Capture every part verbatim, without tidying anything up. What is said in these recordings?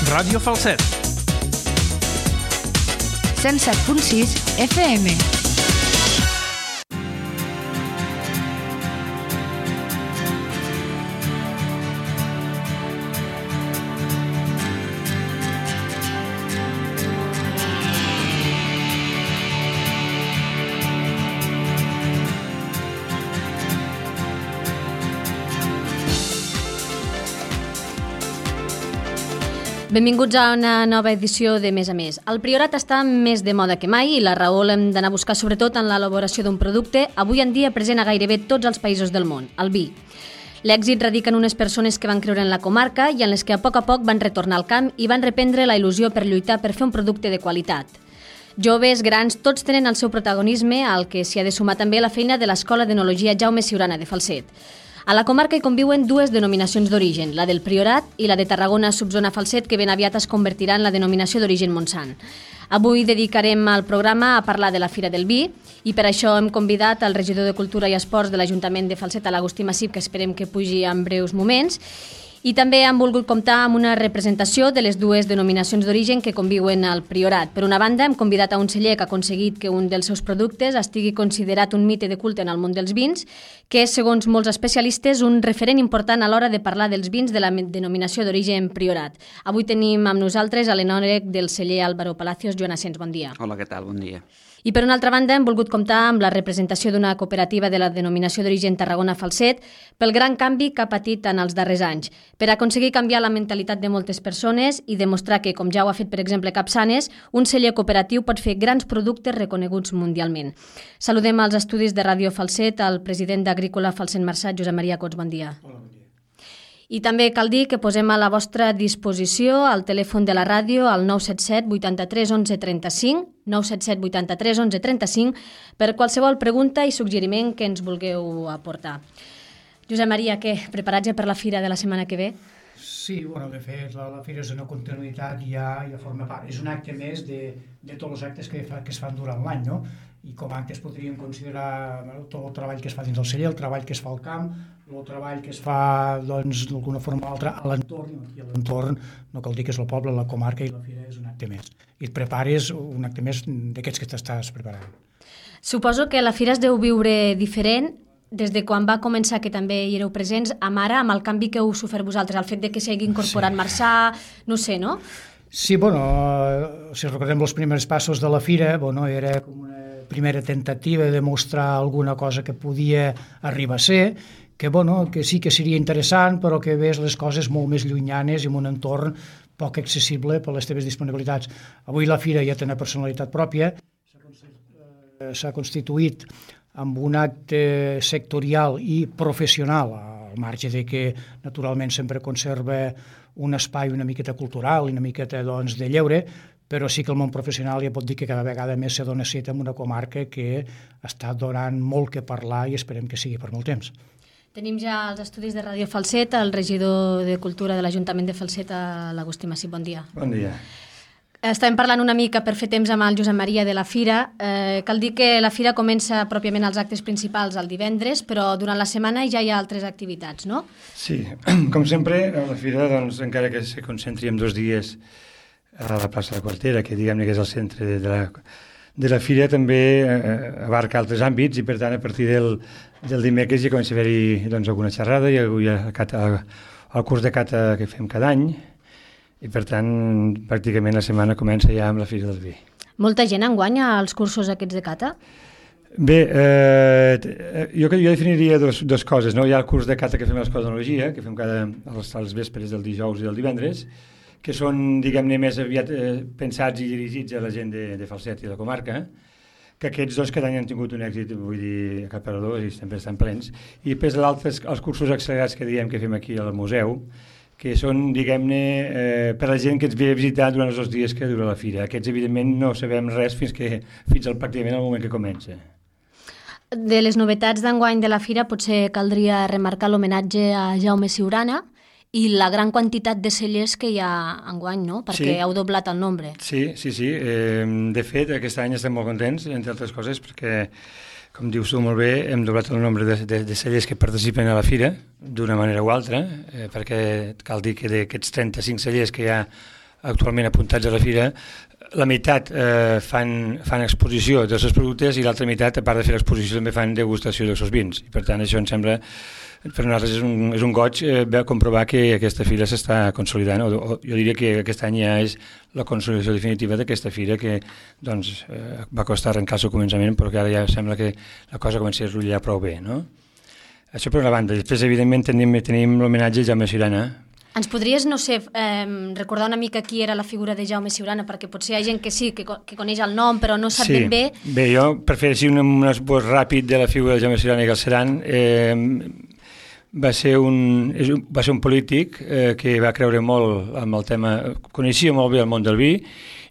Ràdio Falset. cent set punt sis F M. Benvinguts a una nova edició de Més a Més. El Priorat està més de moda que mai i la raó l'hem d'anar a buscar sobretot en l'elaboració d'un producte avui en dia present a gairebé tots els països del món, el vi. L'èxit radica en unes persones que van creure en la comarca i en les que a poc a poc van retornar al camp i van reprendre la il·lusió per lluitar per fer un producte de qualitat. Joves, grans, tots tenen el seu protagonisme, al que s'hi ha de sumar també la feina de l'Escola d'Enologia Jaume Siurana de Falset. A la comarca hi conviuen dues denominacions d'origen, la del Priorat i la de Tarragona Subzona Falset, que ben aviat es convertirà en la denominació d'origen Montsant. Avui dedicarem el programa a parlar de la Fira del Vi i per això hem convidat el regidor de Cultura i Esports de l'Ajuntament de Falset, l'Agustí Massip, que esperem que pugi en breus moments. I també han volgut comptar amb una representació de les dues denominacions d'origen que conviuen al Priorat. Per una banda, hem convidat a un celler que ha aconseguit que un dels seus productes estigui considerat un mite de culte en el món dels vins, que és, segons molts especialistes, un referent important a l'hora de parlar dels vins de la denominació d'origen Priorat. Avui tenim amb nosaltres a l'enòleg del celler Álvaro Palacios. Joan Asens, bon dia. Hola, què tal? Bon dia. I per una altra banda hem volgut comptar amb la representació d'una cooperativa de la denominació d'origen Tarragona Falset pel gran canvi que ha patit en els darrers anys, per aconseguir canviar la mentalitat de moltes persones i demostrar que, com ja ho ha fet per exemple Capçanes, un celler cooperatiu pot fer grans productes reconeguts mundialment. Saludem als estudis de Ràdio Falset al president d'Agrícola Falset Marsat, Josep Maria Cots, bon dia. Hola, bon dia. I també cal dir que posem a la vostra disposició el telèfon de la ràdio al nou set set vuitanta-tres onze trenta-cinc, nou set set vuitanta-tres onze trenta-cinc, per qualsevol pregunta i suggeriment que ens vulgueu aportar. Josep Maria, què? Preparats ja per la fira de la setmana que ve? Sí, bueno, de fet, la, la fira és una continuïtat i ja, ja forma part. És un acte més de, de tots els actes que, fa, que es fan durant l'any, no? I com a actes podríem considerar bueno, tot el treball que es fa dins del celler, el treball que es fa al camp, el treball que es fa, doncs, d'alguna forma o altra a l'entorn, i a l'entorn no cal dir que és el poble, la comarca, i la fira és un acte més. I et prepares un acte més d'aquests que t'estàs preparant. Suposo que la fira es deu viure diferent des de quan va començar, que també hi éreu presents, amb ara, amb el canvi que heu sofert vosaltres, el fet de que s'hagi incorporat sí. Marçà, no sé, no? Sí, bueno, si recordem els primers passos de la fira, bueno, era com una primera tentativa de mostrar alguna cosa que podia arribar a ser, que, bueno, que sí que seria interessant, però que ves les coses molt més llunyanes i en un entorn poc accessible per les teves disponibilitats. Avui la fira ja té una personalitat pròpia, s'ha constituït amb un acte sectorial i professional, al marge de que naturalment sempre conserva un espai una miqueta cultural i una miqueta doncs, de lleure, però sí que el món professional ja pot dir que cada vegada més se dona cita en una comarca que està donant molt que parlar i esperem que sigui per molt temps. Tenim ja els estudis de Ràdio Falset, el regidor de Cultura de l'Ajuntament de Falset, l'Agustí Massip, bon dia. Bon dia. Estàvem parlant una mica per fer temps amb el Josep Maria de la Fira. Eh, cal dir que la Fira comença pròpiament els actes principals el divendres, però durant la setmana ja hi ha altres activitats, no? Sí, com sempre, la Fira, doncs, encara que se concentri en dos dies a la plaça de la Quartera, que diguem-ne que és el centre de la, de la Fira, també eh, abarca altres àmbits i, per tant, a partir del, del dimecres ja comença a haver-hi doncs, alguna xerrada i hi ha el, el curs de cata que fem cada any, i per tant pràcticament la setmana comença ja amb la Fira del Vi. Molta gent enguanya als cursos aquests de cata? Bé, eh, jo, jo definiria dos, dos coses, no? Hi ha el curs de cata que fem a l'Escola d'Enologia, que fem cada, als, als vespres del dijous i del divendres, que són, diguem-ne, més aviat eh, pensats i dirigits a la gent de, de Falset i de la comarca, que aquests dos cada any han tingut un èxit, vull dir, a cap per dos, i sempre estan plens. I després l'altre, els cursos accelerats que diem que fem aquí al museu, que són, diguem-ne, eh, per a la gent que ens ve a visitar durant els dos dies que dura la fira. Aquests, evidentment, no sabem res fins que fins al pràcticament al moment que comença. De les novetats d'enguany de la fira potser caldria remarcar l'homenatge a Jaume Siurana i la gran quantitat de cellers que hi ha enguany, no? Perquè sí. heu doblat el nombre. Sí, sí, sí. Eh, de fet, aquest any estem molt contents, entre altres coses, perquè, com dius tu molt bé, hem doblat el nombre de, de, de cellers que participen a la fira, d'una manera o altra, eh, perquè cal dir que d'aquests trenta-cinc cellers que hi ha actualment apuntats a la fira, la meitat eh, fan, fan exposició dels seus productes i l'altra meitat, a part de fer l'exposició, també fan degustació dels seus vins. I per tant, això em sembla, per nosaltres és un, és un goig eh, comprovar que aquesta fira s'està consolidant, o, o jo diria que aquest any ja és la consolidació definitiva d'aquesta fira que doncs, eh, va costar arrencar el seu començament, però que ara ja sembla que la cosa comença a rotllar prou bé, no? Això per una banda. Després, evidentment, tenim, tenim l'homenatge a Jaume Ciurana. Ens podries, no sé, eh, recordar una mica qui era la figura de Jaume Ciurana, perquè potser hi ha gent que sí, que, que coneix el nom, però no sap sí. ben bé. Bé, jo, per fer així un, un esbós ràpid de la figura de Jaume Ciurana i Galceran, eh, va ser un, va ser un polític eh, que va creure molt amb el tema, coneixia molt bé el món del vi,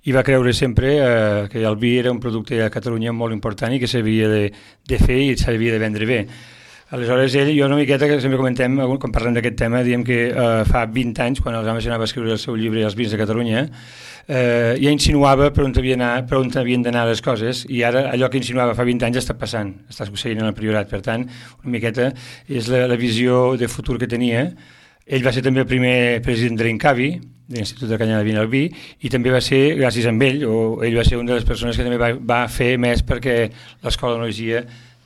i va creure sempre eh, que el vi era un producte a Catalunya molt important i que s'havia de, de fer i s'havia de vendre bé. Aleshores, ell, jo una miqueta, que sempre comentem, quan parlem d'aquest tema, diem que eh, fa vint anys, quan el Jaume Ciurana va escriure el seu llibre Els vins de Catalunya, eh, ja insinuava per on, havia anar, per on havien d'anar les coses, i ara allò que insinuava fa vint anys està passant, està succeint en el Priorat. Per tant, una miqueta és la, la visió de futur que tenia. Ell va ser també el primer president de l'Incavi, de l'Institut de Canyada de Vin al Vi, i també va ser, gràcies a ell, o ell va ser una de les persones que també va, va fer més perquè l'Escola d'Enologia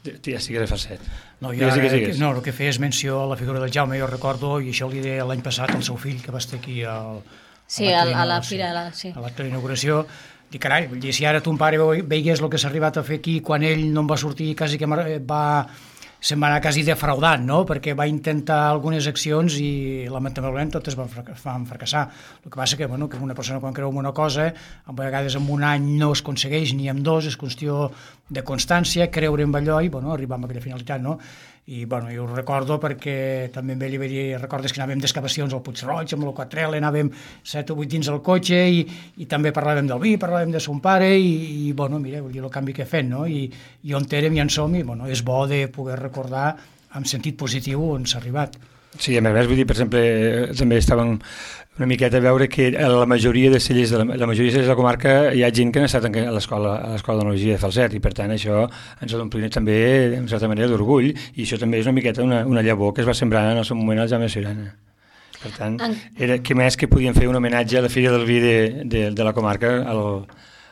ja estigués a falset. No, jo ara, no, el que feies menció a la figura del Jaume, jo recordo, i això li deia l'any passat al seu fill, que va estar aquí al, sí, a, a la fira, sí. a l'acte d'inauguració, dic, carai, vull dir, si ara ton pare veiés el que s'ha arribat a fer aquí, quan ell no en va sortir, quasi que va... se'n va anar quasi defraudant, no? Perquè va intentar algunes accions i lamentablement totes van fracassar. El que passa que, bueno, que una persona quan creu en una cosa, a vegades en un any no es aconsegueix ni en dos, és qüestió de constància, creure en allò i bueno, arribar a aquella finalitat, no? I bueno, jo ho recordo perquè també amb ell li vaig dir, recordes que anàvem d'excavacions al Puig-roig, amb el Quatrel, anàvem set o vuit dins del cotxe i, i també parlàvem del vi, parlàvem de son pare i, i bueno, mira, vull dir, el canvi que he fet, no? I, i on érem i on som, i bueno, és bo de poder recordar en sentit positiu on s'ha arribat. Sí, a més, vull dir, per exemple, també estàvem una miqueta a veure que a la majoria de cellers de la, la majoria de cellers de la comarca hi ha gent que ha estat a l'escola a l'escola d'enologia de Falset i per tant això ens ha d'omplir també en certa manera d'orgull i això també és una miqueta una, una llavor que es va sembrar en el seu moment al Jaume Ciurana. Per tant, era, què més que podíem fer un homenatge a la Fira del Vi de, de, de la comarca al,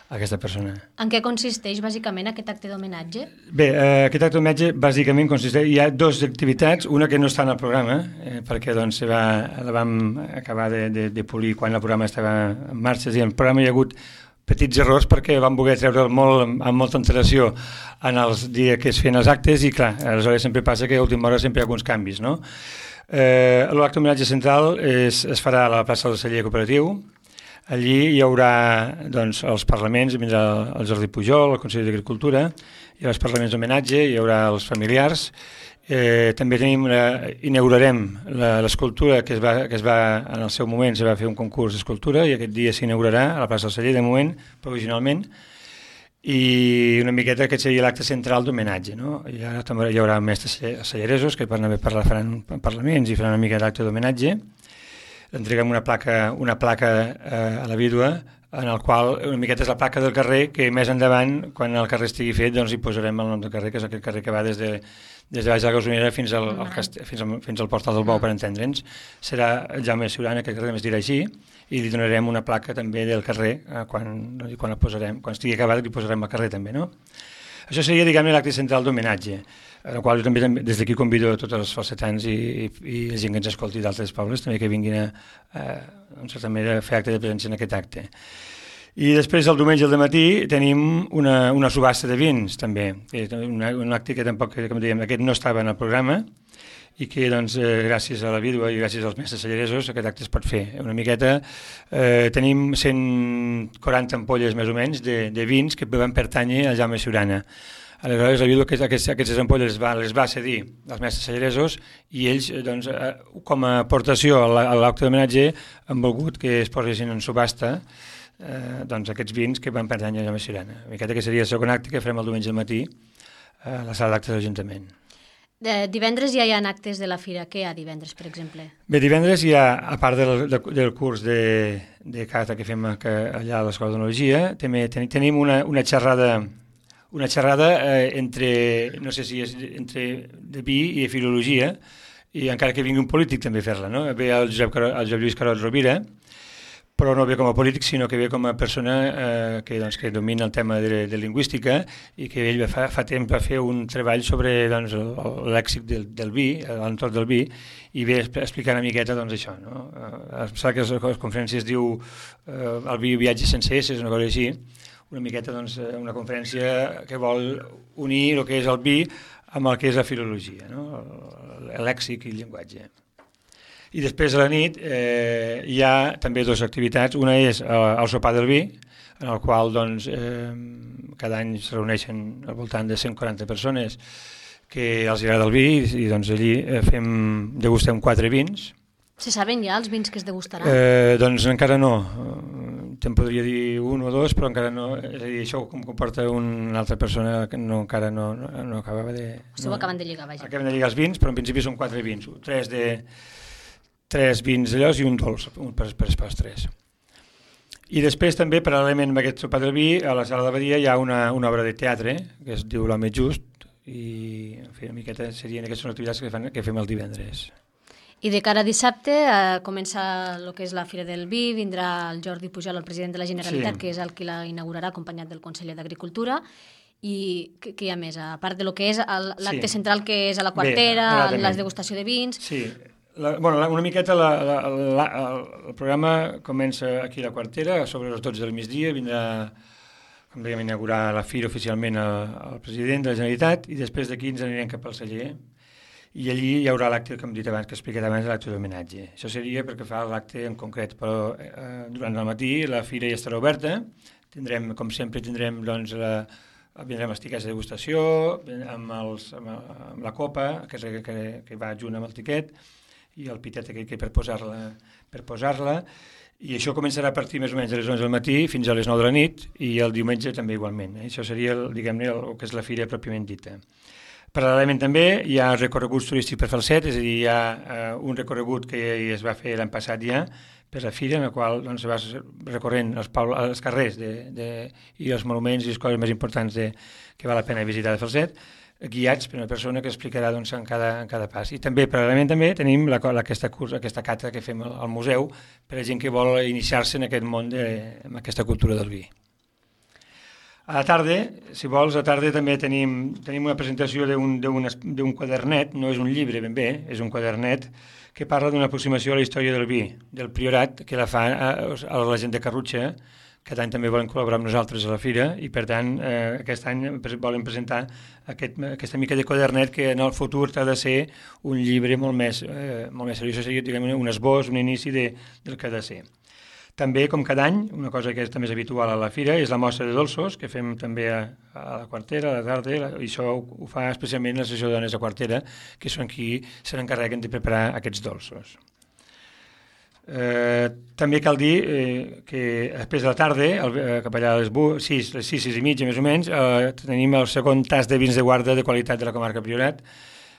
a aquesta persona. En què consisteix bàsicament aquest acte d'homenatge? Bé, eh, aquest acte d'homenatge bàsicament consisteix, hi ha dues activitats, una que no està en el programa, eh, perquè doncs, se va, la vam acabar de, de, de polir quan el programa estava en marxa, i en el programa hi ha hagut petits errors perquè vam voler treure'l molt, amb molta antelació en els dies que es feien els actes i clar, aleshores sempre passa que a última hora sempre hi ha alguns canvis, no? Eh, l'acte d'homenatge central és, es farà a la plaça del Celler Cooperatiu. Allí hi haurà doncs, els parlaments, vindrà el Jordi Pujol, el Consell d'Agricultura, hi haurà els parlaments d'homenatge, hi haurà els familiars. Eh, també tenim una, inaugurarem l'escultura que, es va, que es va, en el seu moment, es va fer un concurs d'escultura i aquest dia s'inaugurarà a la plaça del Celler, de moment, provisionalment, i una miqueta aquest seria l'acte central d'homenatge, no? I ara també hi haurà mestres celleresos que per anar parlar, faran parlaments i faran una mica d'acte d'homenatge. Entreguem una placa, una placa eh, a la vídua en el qual una miqueta és la placa del carrer que més endavant, quan el carrer estigui fet, doncs hi posarem el nom del carrer, que és aquest carrer que va des de, des de baix de la Gausonera fins al, al, fins, al, fins al Portal del Bou, per entendre'ns. Serà Jaume Ciurana, que el carrer més dirà així, i li donarem una placa també del carrer eh, quan, quan la posarem, quan estigui acabat li posarem al carrer també, no? Això seria, diguem-ne, l'acte central d'homenatge, en el qual jo també des d'aquí convido tots els falsetans i, i, i la gent que ens escolti d'altres pobles també que vinguin a, a, en certa manera, a fer acte de presència en aquest acte. I després, el diumenge al matí, tenim una, una subhasta de vins, també, una, un acte que tampoc, com dèiem, aquest no estava en el programa, i que doncs, eh, gràcies a la vídua i gràcies als mestres celleresos aquest acte es pot fer. Una miqueta eh, tenim cent quaranta ampolles més o menys de, de vins que van pertànyer a Jaume Ciurana. Aleshores la vídua que aquestes, aquestes ampolles les va, les va cedir als mestres celleresos i ells doncs, eh, com a aportació a l'acte d'homenatge han volgut que es posessin en subhasta eh, doncs, aquests vins que van pertànyer a Jaume Ciurana. Una miqueta que seria el segon acte que farem el diumenge al matí a la sala d'actes de l'Ajuntament. De divendres ja hi ha actes de la fira. Què hi ha divendres, per exemple? Bé, divendres hi ha, a part del, del curs de, de cata que fem que allà a l'Escola d'Enologia, també ten, tenim una, una xerrada, una xerrada eh, entre, no sé si és entre de vi i de filologia, i encara que vingui un polític també fer-la, no? Ve el Josep, el Josep Lluís Carot Rovira, però no ve com a polític, sinó que ve com a persona eh, que, doncs, que domina el tema de, de lingüística i que ell fa, fa temps va fer un treball sobre doncs, el, el lèxic del, del vi, l'entorn del vi, i ve a explicar una miqueta doncs, això. No? Eh, em sembla que la conferència es diu eh, El vi viatge sense S, és una cosa així, una miqueta doncs, una conferència que vol unir el que és el vi amb el que és la filologia, no? el, el lèxic i el llenguatge. I després a la nit eh, hi ha també dues activitats. Una és eh, el sopar del vi, en el qual doncs, eh, cada any es reuneixen al voltant de cent quaranta persones que els agrada el vi i, i doncs, allí eh, fem, degustem quatre vins. Se saben ja els vins que es degustaran? Eh, doncs encara no. Te'n podria dir un o dos, però encara no. És a dir, això com comporta una altra persona que no, encara no, no, no acabava de... Esteu no, acabant de lligar, vaja. Acabem de lligar els vins, però en principi són quatre vins. Tres de... tres vins d'allòs i un dolç, un per, per postres. I després també, paral·lelament amb aquest sopar del vi, a la sala de Badia hi ha una, una obra de teatre que es diu L'home just i en fi, una miqueta serien aquestes activitats que, fan, que fem el divendres. I de cara a dissabte eh, comença el que és la Fira del Vi, vindrà el Jordi Pujol, el president de la Generalitat, sí. que és el qui la inaugurarà, acompanyat del conseller d'Agricultura. I què, què hi ha més? A part de lo que és l'acte sí. central, que és a la Quartera, Bé, la degustació de vins... Sí. La, bueno, la, una miqueta la, la, la, el programa comença aquí a la Quartera, sobre les dotze del migdia, vindrà, com dèiem, a inaugurar la Fira oficialment el, el president de la Generalitat i després d'aquí ens anirem cap al celler i allí hi haurà l'acte, com he dit abans, que he explicat abans, l'acte d'homenatge. Això seria perquè fa l'acte en concret, però eh, durant el matí la Fira ja estarà oberta, tindrem, com sempre, tindrem doncs, la, vindrem els tiquets de degustació, amb, els, amb, amb la copa, que, que, que va junt amb el tiquet, i el pitet aquell que per posar-la per posar-la, i això començarà a partir més o menys a les onze del matí fins a les nou de la nit, i el diumenge també igualment. Eh? Això seria, el, diguem-ne, el, el que és la fira pròpiament dita. Paral·lelament també hi ha recorreguts turístics per Falset, és a dir, hi ha eh, un recorregut que es va fer l'any passat ja per la fira, en el qual doncs, vas recorrent els, els carrers de, de, i els monuments i les coses més importants de, que val la pena visitar de Falset, guiats per una persona que explicarà doncs, en, cada, en cada pas. I també, paral·lelament, també tenim la, aquesta, cursa, aquesta cata que fem al, al museu per a gent que vol iniciar-se en aquest món, de, en aquesta cultura del vi. A la tarda, si vols, a la tarda també tenim, tenim una presentació d'un quadernet, no és un llibre ben bé, és un quadernet que parla d'una aproximació a la història del vi, del Priorat, que la fa a, a la gent de Carrutxa. Aquest any també volen col·laborar amb nosaltres a la fira i, per tant, eh, aquest any volen presentar aquest, aquesta mica de quadernet que en el futur ha de ser un llibre molt més, eh, molt més seriós, seria, diguem, un esbós, un inici de, del que ha de ser. També, com cada any, una cosa que és també és habitual a la fira és la mostra de dolços, que fem també a, a la Quartera, a la tarda, i això ho, ho fa especialment la Associació de Dones de Quartera, que són qui se n'encarreguen de preparar aquests dolços. Eh, també cal dir eh, que després de la tarda, el, eh, cap allà a les sis, les sis, sis i mitja més o menys, eh, tenim el segon tas de vins de guarda de qualitat de la comarca Priorat,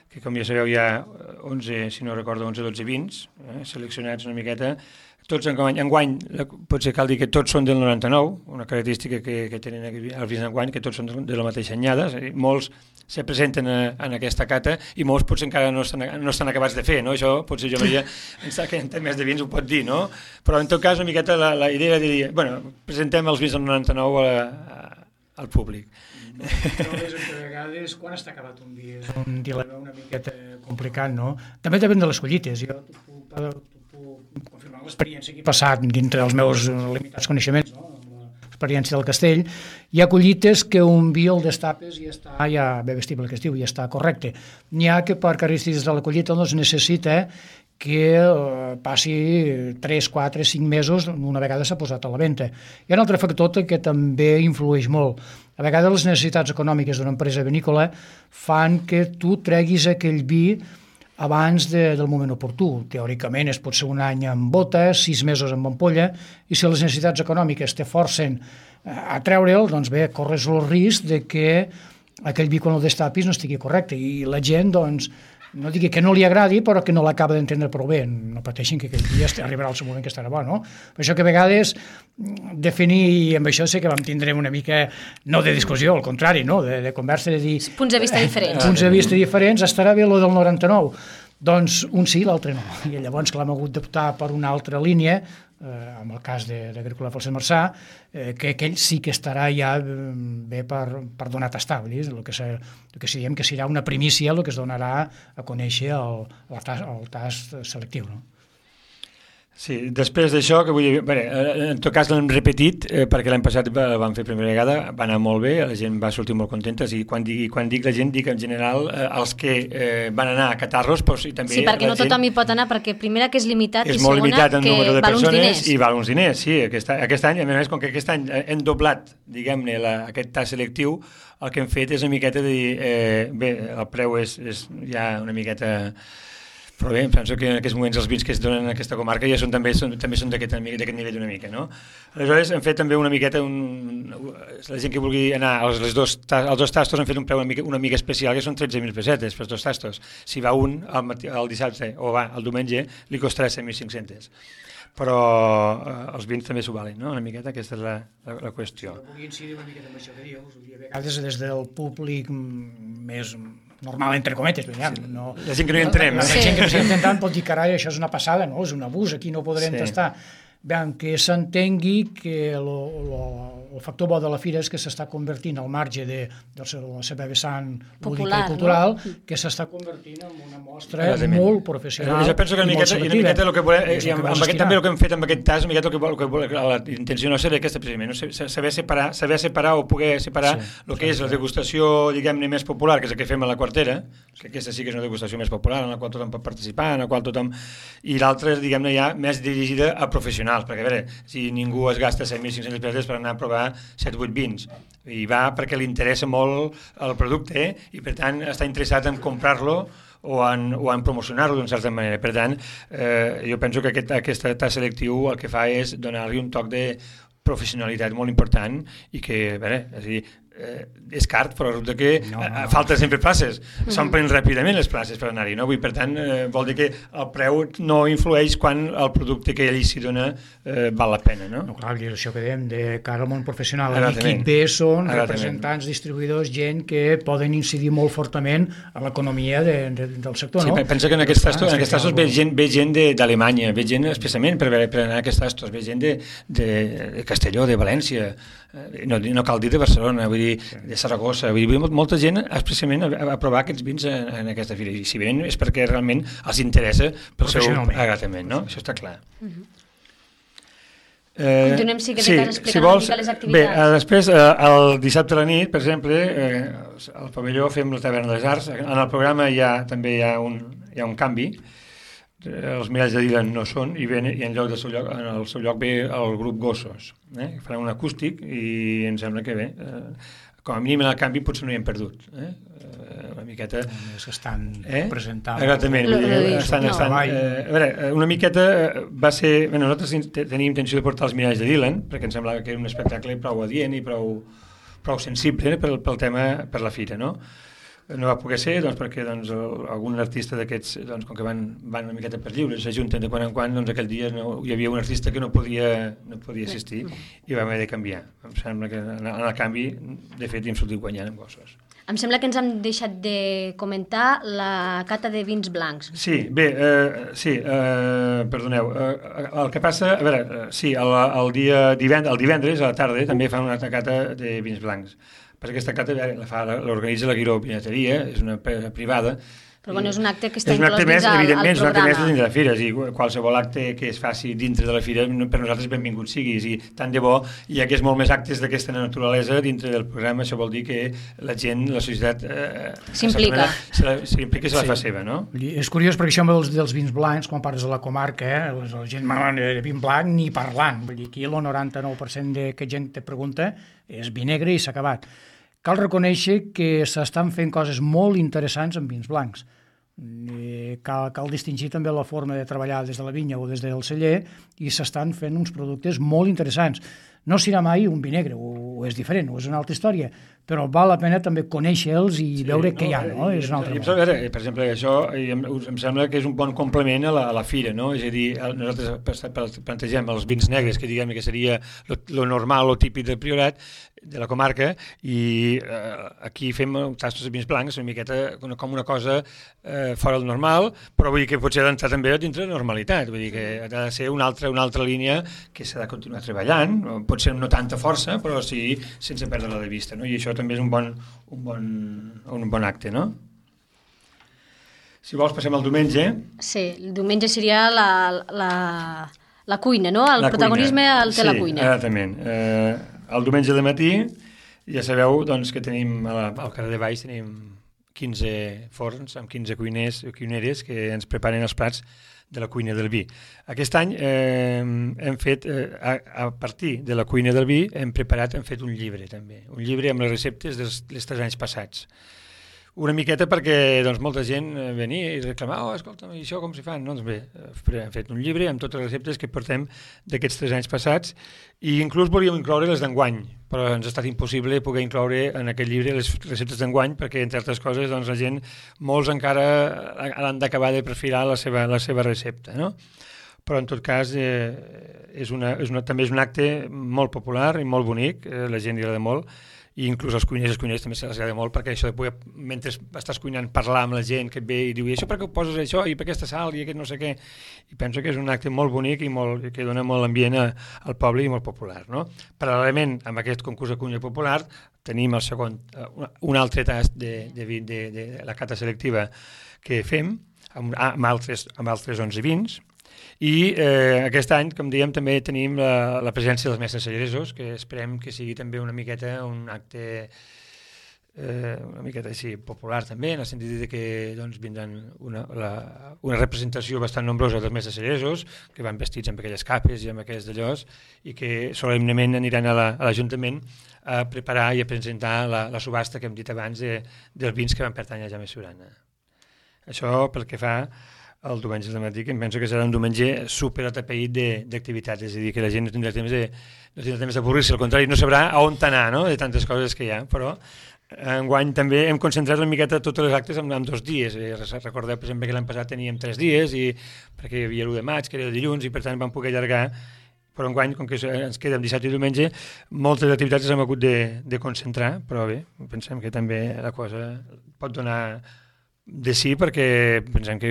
que com ja sabeu hi ha onze, si no recordo, onze o dotze vins eh, seleccionats una miqueta. Tots enguany, enguany, potser cal dir que tots són del noranta-nou, una característica que, que tenen els vins enguany, que tots són de la mateixa anyada, molts se presenten a, en aquesta cata i molts potser encara no estan, no estan acabats de fer, no? Això potser jo Maria, que en temes de vins ho pot dir, no? Però en tot cas una miqueta la, la idea de dir, bueno, presentem els vins del noranta-nou a, a, al públic. No, és que a vegades quan està acabat un vi és un dilema una miqueta complicat, no? També depèn de les collites, jo t'ho puc confirmar l'experiència que he passat dintre dels meus limitats coneixements, no? L'experiència del Castell, hi ha collites que un vi el destapes i està ja bé vestible, que es diu, i està correcte. N'hi ha que per característiques de la collita doncs necessita que eh, passi tres, quatre, cinc mesos una vegada s'ha posat a la venda. Hi ha un altre factor que també influeix molt. A vegades les necessitats econòmiques d'una empresa vinícola fan que tu treguis aquell vi abans de, del moment oportú. Teòricament es pot ser un any en bota, sis mesos en ampolla, i si les necessitats econòmiques te forcen a treure'l, doncs bé, corres el risc de que aquell vi quan el destapis no estigui correcte, i la gent, doncs, no digui que no li agradi, però que no l'acaba d'entendre prou bé. No pateixin que aquell dia arribarà al seu moment que estarà bo, no? Per això que a vegades definir, i amb això sé que vam tindre una mica, no de discussió, al contrari, no? de, de conversa, de dir... Punts de vista diferents. Punts de vista diferents, estarà bé lo del noranta-nou. Doncs un sí, l'altre no. I llavors que l'hem hagut d'optar per una altra línia, eh, en el cas d'Agrícola Falset Marçà, eh, que aquell sí que estarà ja bé per, per donar a tastar, vull dir, el que, se, el que diem que serà una primícia el que es donarà a conèixer el, el, tast, el tast selectiu, no? Sí, després d'això, que vull dir, bé, en tot cas l'hem repetit, eh, perquè l'any passat el vam fer primera vegada, va anar molt bé, la gent va sortir molt contenta, i quan dic, quan dic la gent, dic en general eh, els que eh, van anar a catar-los, però sí, també sí, perquè no gent... tothom hi pot anar, perquè primera que és limitat és i molt segona limitat en que número de val uns persones diners. i val uns diners, sí, aquest, aquest any, a més, com que aquest any hem doblat, diguem-ne, aquest tast selectiu, el que hem fet és una miqueta de dir, eh, bé, el preu és, és ja una miqueta... Però bé, em penso que en aquests moments els vins que es donen en aquesta comarca ja són també són, també són d'aquest nivell una mica, no? Aleshores hem fet també una miqueta, un, la gent que vulgui anar als les dos, als dos tastos han fet un preu una mica, una mica especial, que són tretze mil pessetes per dos tastos. Si va un el, matí, el dissabte o va el diumenge, li costarà set mil cinc-cents. Però eh, els vins també s'ho valen, no? Una miqueta, aquesta és la, la, la qüestió. Si vull incidir una miqueta amb això que dius, a vegades des del públic més... normal, entre cometes, no, la gent que no hi entrem. La, la sí. gent que no s'hi intentant pot dir, carai, això és una passada, no? És un abús, aquí no podrem sí. tastar. Bé, que s'entengui que lo, lo, el factor bo de la fira és que s'està convertint al marge de, de la seva vessant lúdica i cultural, no? Que s'està convertint en una mostra Exactament. molt professional. Jo penso que una miqueta, una miqueta el que volem, eh, amb, amb aquest, també el que hem fet amb aquest tas, una miqueta el que, el que volem, la intenció nostra era aquesta precisament, no? saber separar, saber separar o poder separar sí, el que és la degustació, diguem-ne, més popular, que és el que fem a la Quartera, que aquesta sí que és una degustació més popular, en la qual tothom pot participar, en la qual tothom... I l'altra és, diguem-ne, ja més dirigida a professionals, perquè, a veure, si ningú es gasta set mil cinc-cents pessetes per anar a provar set o vuit vins, i va perquè li interessa molt el producte eh? i per tant està interessat en comprar-lo o en, o en promocionar-lo d'una certa manera. Per tant, eh, jo penso que aquest, aquest tast selectiu el que fa és donar-li un toc de professionalitat molt important i que, a veure, és a dir, eh, és car, però resulta que no, no. falta sempre places. Mm-hmm. S'omplen ràpidament les places per anar-hi, no? Vull, per tant, eh, vol dir que el preu no influeix quan el producte que allí s'hi dona eh, val la pena, no? No, clar, és això que dèiem, de cara al món professional. L'equip B són representants, distribuïdors, gent que poden incidir molt fortament a l'economia de, de, del sector, sí, no? Pensa que en aquests tastos, en aquests tastos ve gent, ve gent d'Alemanya, ve gent especialment per, per anar a aquests tastos, ve gent de, de, de Castelló, de València, no, no cal dir de Barcelona, vull dir, de Saragossa, vull dir, molta gent especialment a, a provar aquests vins en, en aquesta fira, i si venen és perquè realment els interessa pel seu agradament, no? Això està clar. Uh-huh. eh, Continuem, sí, que sí, explicant si vols, una mica les activitats. Bé, eh, després, eh, el dissabte a la nit, per exemple, eh, al pavelló fem la Taverna de les Arts, en el programa hi ha, també hi ha un, hi ha un canvi, els miralls de Dylan no són i, ven, i en, lloc del seu lloc, en el seu lloc ve el grup Gossos, eh? que farà un acústic i em sembla que bé, eh, com a mínim en el canvi potser no hi hem perdut, eh? una miqueta... És que estan eh? presentant... Exactament, lo, lo estan, no. estan, eh, a veure, una miqueta va ser... Bueno, nosaltres teníem intenció de portar els miralls de Dylan, perquè em semblava que era un espectacle prou adient i prou, prou sensible eh? pel, pel tema, per la fira, no? No va poder ser doncs, perquè doncs, algun artista d'aquests, doncs, com que van, van una miqueta per lliure, s'ajunten de quan en quan, doncs aquell dia no, hi havia un artista que no podia, no podia assistir i vam haver de canviar. Em sembla que en el canvi, de fet, hi hem sortit guanyant amb Gossos. Em sembla que ens hem deixat de comentar la cata de vins blancs. Sí, bé, eh, sí, eh, perdoneu. Eh, el que passa, a veure, eh, sí, el, el, dia divendres, el divendres a la tarda també fan una altra cata de vins blancs. Perquè aquesta cata l'organitza la Guiró Vinateria, és una privada. Però bueno, és un acte que està inclòs dins al, al programa. Evidentment, és un acte més dins de la fira. I qualsevol acte que es faci dintre de la fira, per nosaltres benvingut sigui. I tant de bo hi hagués molt més actes d'aquesta naturalesa dintre del programa. Això vol dir que la gent, la societat... Eh, s'implica. S'implica i se la sí. fa seva, no? És curiós perquè això dels, dels vins blancs, quan parles de la comarca, eh, la gent de vin blanc ni parlant. Vull dir, aquí el noranta-nou per cent de que gent te pregunta és vi negre i s'ha acabat. Cal reconèixer que s'estan fent coses molt interessants amb vins blancs. Cal, cal distingir també la forma de treballar des de la vinya o des del celler i s'estan fent uns productes molt interessants. No serà mai un vi negre, o és diferent, o és una altra història, però val la pena també conèixer-los i sí, veure què no, hi ha, no? És un altre i, veure, per exemple, això em, em sembla que és un bon complement a la, a la fira, no? És a dir, nosaltres plantegem els vins negres, que diguem que seria lo normal o típic del Priorat, de la comarca, i eh, aquí fem tastos de vins blancs, una miqueta com una cosa eh, fora del normal, però vull dir que potser ha d'entrar també dintre de normalitat, vull dir que ha de ser una altra, una altra línia que s'ha de continuar treballant, potser no tanta força, però sí sense perdre-la de vista, no? I això també és un bon, un bon, un bon acte, no? Si vols passem al diumenge. Sí, el diumenge seria la, la, la cuina, no? El la protagonisme cuina. el té sí, la cuina. Sí, exactament. Eh, el diumenge de matí ja sabeu doncs, que tenim a la, al carrer de Baix tenim quinze forns amb quinze cuiners i cuineres que ens preparen els plats de la cuina del vi. Aquest any eh, hem fet, eh, a, a partir de la cuina del vi, hem preparat, hem fet un llibre també, un llibre amb les receptes dels, dels tres anys passats. Una miqueta perquè doncs, molta gent venia i reclamava, oh, escolta'm, i això com s'hi fan? No, doncs bé, hem fet un llibre amb totes les receptes que portem d'aquests tres anys passats i inclús volíem incloure les d'enguany, però ens ha estat impossible poder incloure en aquest llibre les receptes d'enguany perquè, entre altres coses, doncs, la gent, molts encara han d'acabar de perfilar la seva, la seva recepta, no? Però en tot cas eh, és una, és una, també és un acte molt popular i molt bonic, eh, la gent li agrada molt, i inclús els cuiners i els cuiners també se'ls agrada molt perquè això de poder, mentre estàs cuinant, parlar amb la gent que et ve i diu, i això per què ho poses això, i per aquesta sal, i aquest no sé què, i penso que és un acte molt bonic i molt, que dona molt ambient a, al poble i molt popular, no? Paral·lelament amb aquest concurs de cuina popular tenim el segon, un altre tast de, de, de, de, de la cata selectiva que fem amb, amb, altres, amb altres onze vins. I eh, aquest any, com dèiem, també tenim la, la presència dels mestres celleresos, que esperem que sigui també una miqueta un acte eh, una miqueta així popular també, en el sentit de que doncs, vindran una, la, una representació bastant nombrosa dels mestres celleresos, que van vestits amb aquelles capes i amb aquells d'allòs, i que solemnement aniran a l'Ajuntament a preparar i a presentar la, la subhasta que hem dit abans de, dels vins que van pertànyer a Jaume Surana. Això pel que fa el diumenge de matí, que em penso que serà un diumenge super atapeït d'activitats, és a dir, que la gent no tindrà temps de, no tindrà temps d'avorrir-se, al contrari, no sabrà a on anar, no?, de tantes coses que hi ha, però enguany també hem concentrat una miqueta totes les actes en, en dos dies. Recordeu, per exemple, que l'any passat teníem tres dies, i perquè hi havia l'u de maig, que era el dilluns, i per tant vam poder allargar, però enguany, com que ens queda dissabte i diumenge, moltes activitats les hem hagut de, de concentrar, però bé, pensem que també la cosa pot donar de sí, perquè pensem que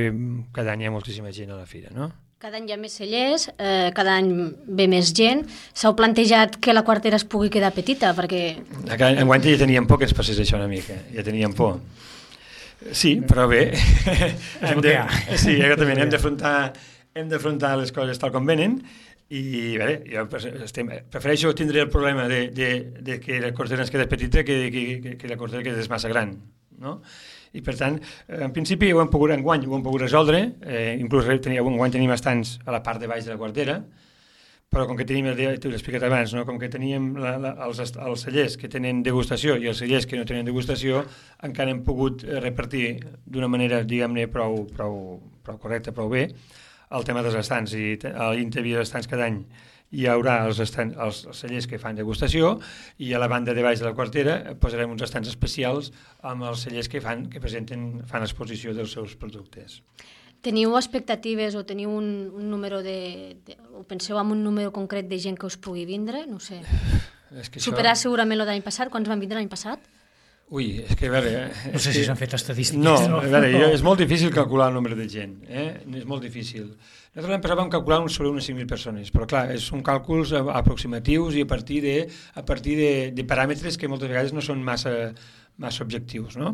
cada any hi ha moltíssima gent a la fira, no? Cada any hi ha més cellers, eh, cada any ve més gent. S'heu plantejat que la quartera es pugui quedar petita? Perquè... Enguany ja teníem por que ens passés això una mica, ja teníem por. Sí, però bé, hem de, sí, exactament, hem d'afrontar hem d'afrontar les coses tal com venen, i bé, jo estem, prefereixo tindre el problema de, de, de que la quartera ens queda petita que, que, que la quartera queda massa gran, no? I per tant, en principi ho hem pogut enguany, ho hem pogut resoldre, eh, inclús enguany tenim estants a la part de baix de la quartera, però com que tenim, t'ho he explicat abans, no? Com que teníem la, la, els, els cellers que tenen degustació i els cellers que no tenen degustació, encara hem pogut repartir d'una manera, diguem-ne, prou, prou, prou correcta, prou bé, el tema dels estants, i a l'interior dels estants cada any hi haurà els, estant, els, els cellers que fan degustació, i a la banda de baix de la quartera posarem uns estants especials amb els cellers que fan que presenten, fan exposició dels seus productes. Teniu expectatives o teniu un, un número de, de... o penseu en un número concret de gent que us pugui vindre? No sé. És que Superar això... segurament el d'any passat. Quants van vindre l'any passat? Ui, és que a veure... No sé que... si s'han fet estadístiques. No, a veure, jo, és molt difícil calcular el nombre de gent, eh? És molt difícil. Nosaltres l'any passat vam calcular uns, sobre unes cinc mil persones, però clar, són càlculs aproximatius i a partir de, a partir de, de paràmetres que moltes vegades no són massa, massa objectius, no?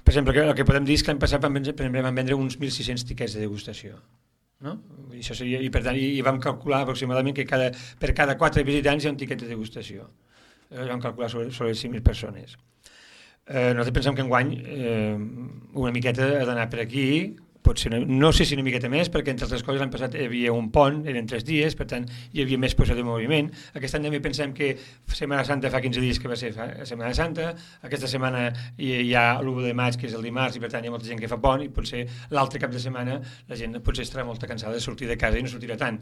Per exemple, el que podem dir és que l'any passat vam vendre, vam vendre uns mil sis-cents tiquets de degustació, no? I, això seria, i per tant, i, i vam calcular aproximadament que cada, per cada quatre visitants hi ha un tiquet de degustació. Eh, vam calcular sobre, sobre cinc mil persones. Eh, nosaltres pensem que enguany eh, una miqueta ha d'anar per aquí, potser no, no sé si una miqueta més, perquè entre altres coses l'any passat hi havia un pont, eren tres dies, per tant hi havia més possibilitat de moviment. Aquest any també pensem que Setmana Santa fa quinze dies que va ser Setmana Santa, aquesta setmana hi, hi ha l'u de maig, que és el dimarts, i per tant hi ha molta gent que fa pont, i potser l'altre cap de setmana la gent potser estarà molt cansada de sortir de casa i no sortirà tant.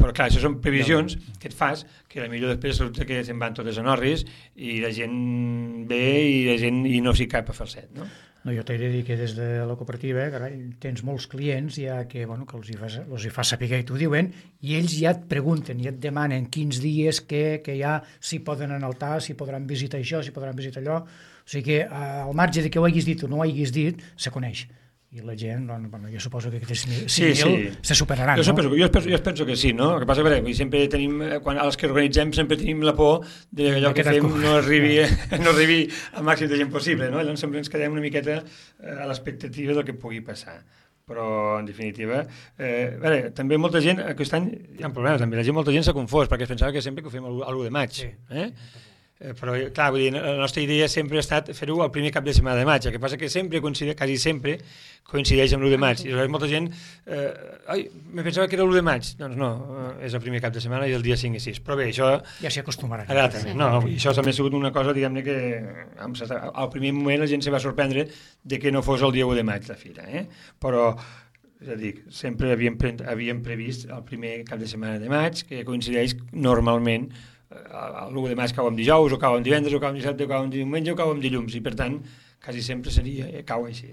però clar, això són previsions que et fas, que potser després resulta que se'n van totes en orris i la gent ve i la gent i no s'hi cap a fer el set, no? No, jo t'he de dir que des de la cooperativa, carai, tens molts clients ja que, bueno, que els hi fa, els hi fa saber i t'ho diuen, i ells ja et pregunten i et demanen quins dies, què, que hi ha, si poden anar al T A, si podran visitar això, si podran visitar allò. O sigui que al marge de que ho haguis dit o no ho haguis dit, se coneix. I la gent, doncs, bueno, jo suposo que aquests cinc mil sí, sí. se superaran, jo no? Penso, jo, penso, jo penso que sí, no? El que passa és que sempre tenim, quan als que organitzem sempre tenim la por de que allò que fem no arribi, no arribi al màxim de gent possible, no? Llavors sempre ens quedem una miqueta a l'expectativa del que pugui passar. Però, en definitiva, eh, a veure, també molta gent, aquest any hi ha problemes, també la gent, molta gent s'ha confós, perquè es pensava que sempre que ho fem l'u de maig, sí. eh? Però, clar, vull dir, la nostra idea sempre ha estat fer-ho el primer cap de setmana de maig, el que passa que sempre coincideix, quasi sempre coincideix amb l'u de maig, i llavors molta gent eh, ai, me pensava que era l'u de maig, doncs no, eh, és el primer cap de setmana i el dia cinc i sis, però bé, això... Ja s'hi acostumaran. Sí. No, això també ha sigut una cosa, diguem-ne, que al primer moment la gent se va sorprendre de que no fos el dia u de maig la fira, eh? Però, és a dir, sempre havíem, pre havíem previst el primer cap de setmana de maig, que coincideix normalment l'u de maig cau en dijous, o cau en divendres, o cau en dissabte, o cau en diumenge, o cau en dilluns, i per tant, quasi sempre seria, cau així.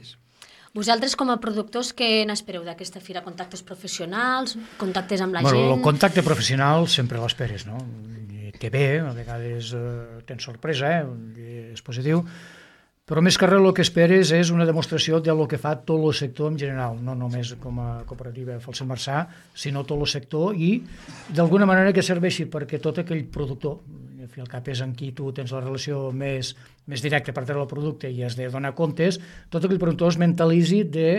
Vosaltres, com a productors, què n'espereu d'aquesta fira? Contactes professionals, contactes amb la bueno, gent? El contacte professional sempre l'esperes, no? I té bé, a vegades eh, tens sorpresa, eh? És positiu, però més que res el que esperes és una demostració del que fa tot el sector en general, no només com a cooperativa Falset Marçà, sinó tot el sector, i d'alguna manera que serveixi perquè tot aquell productor, al fi al cap és amb qui tu tens la relació més, més directa per treure el producte i has de donar comptes, tot aquell productor es mentalitzi de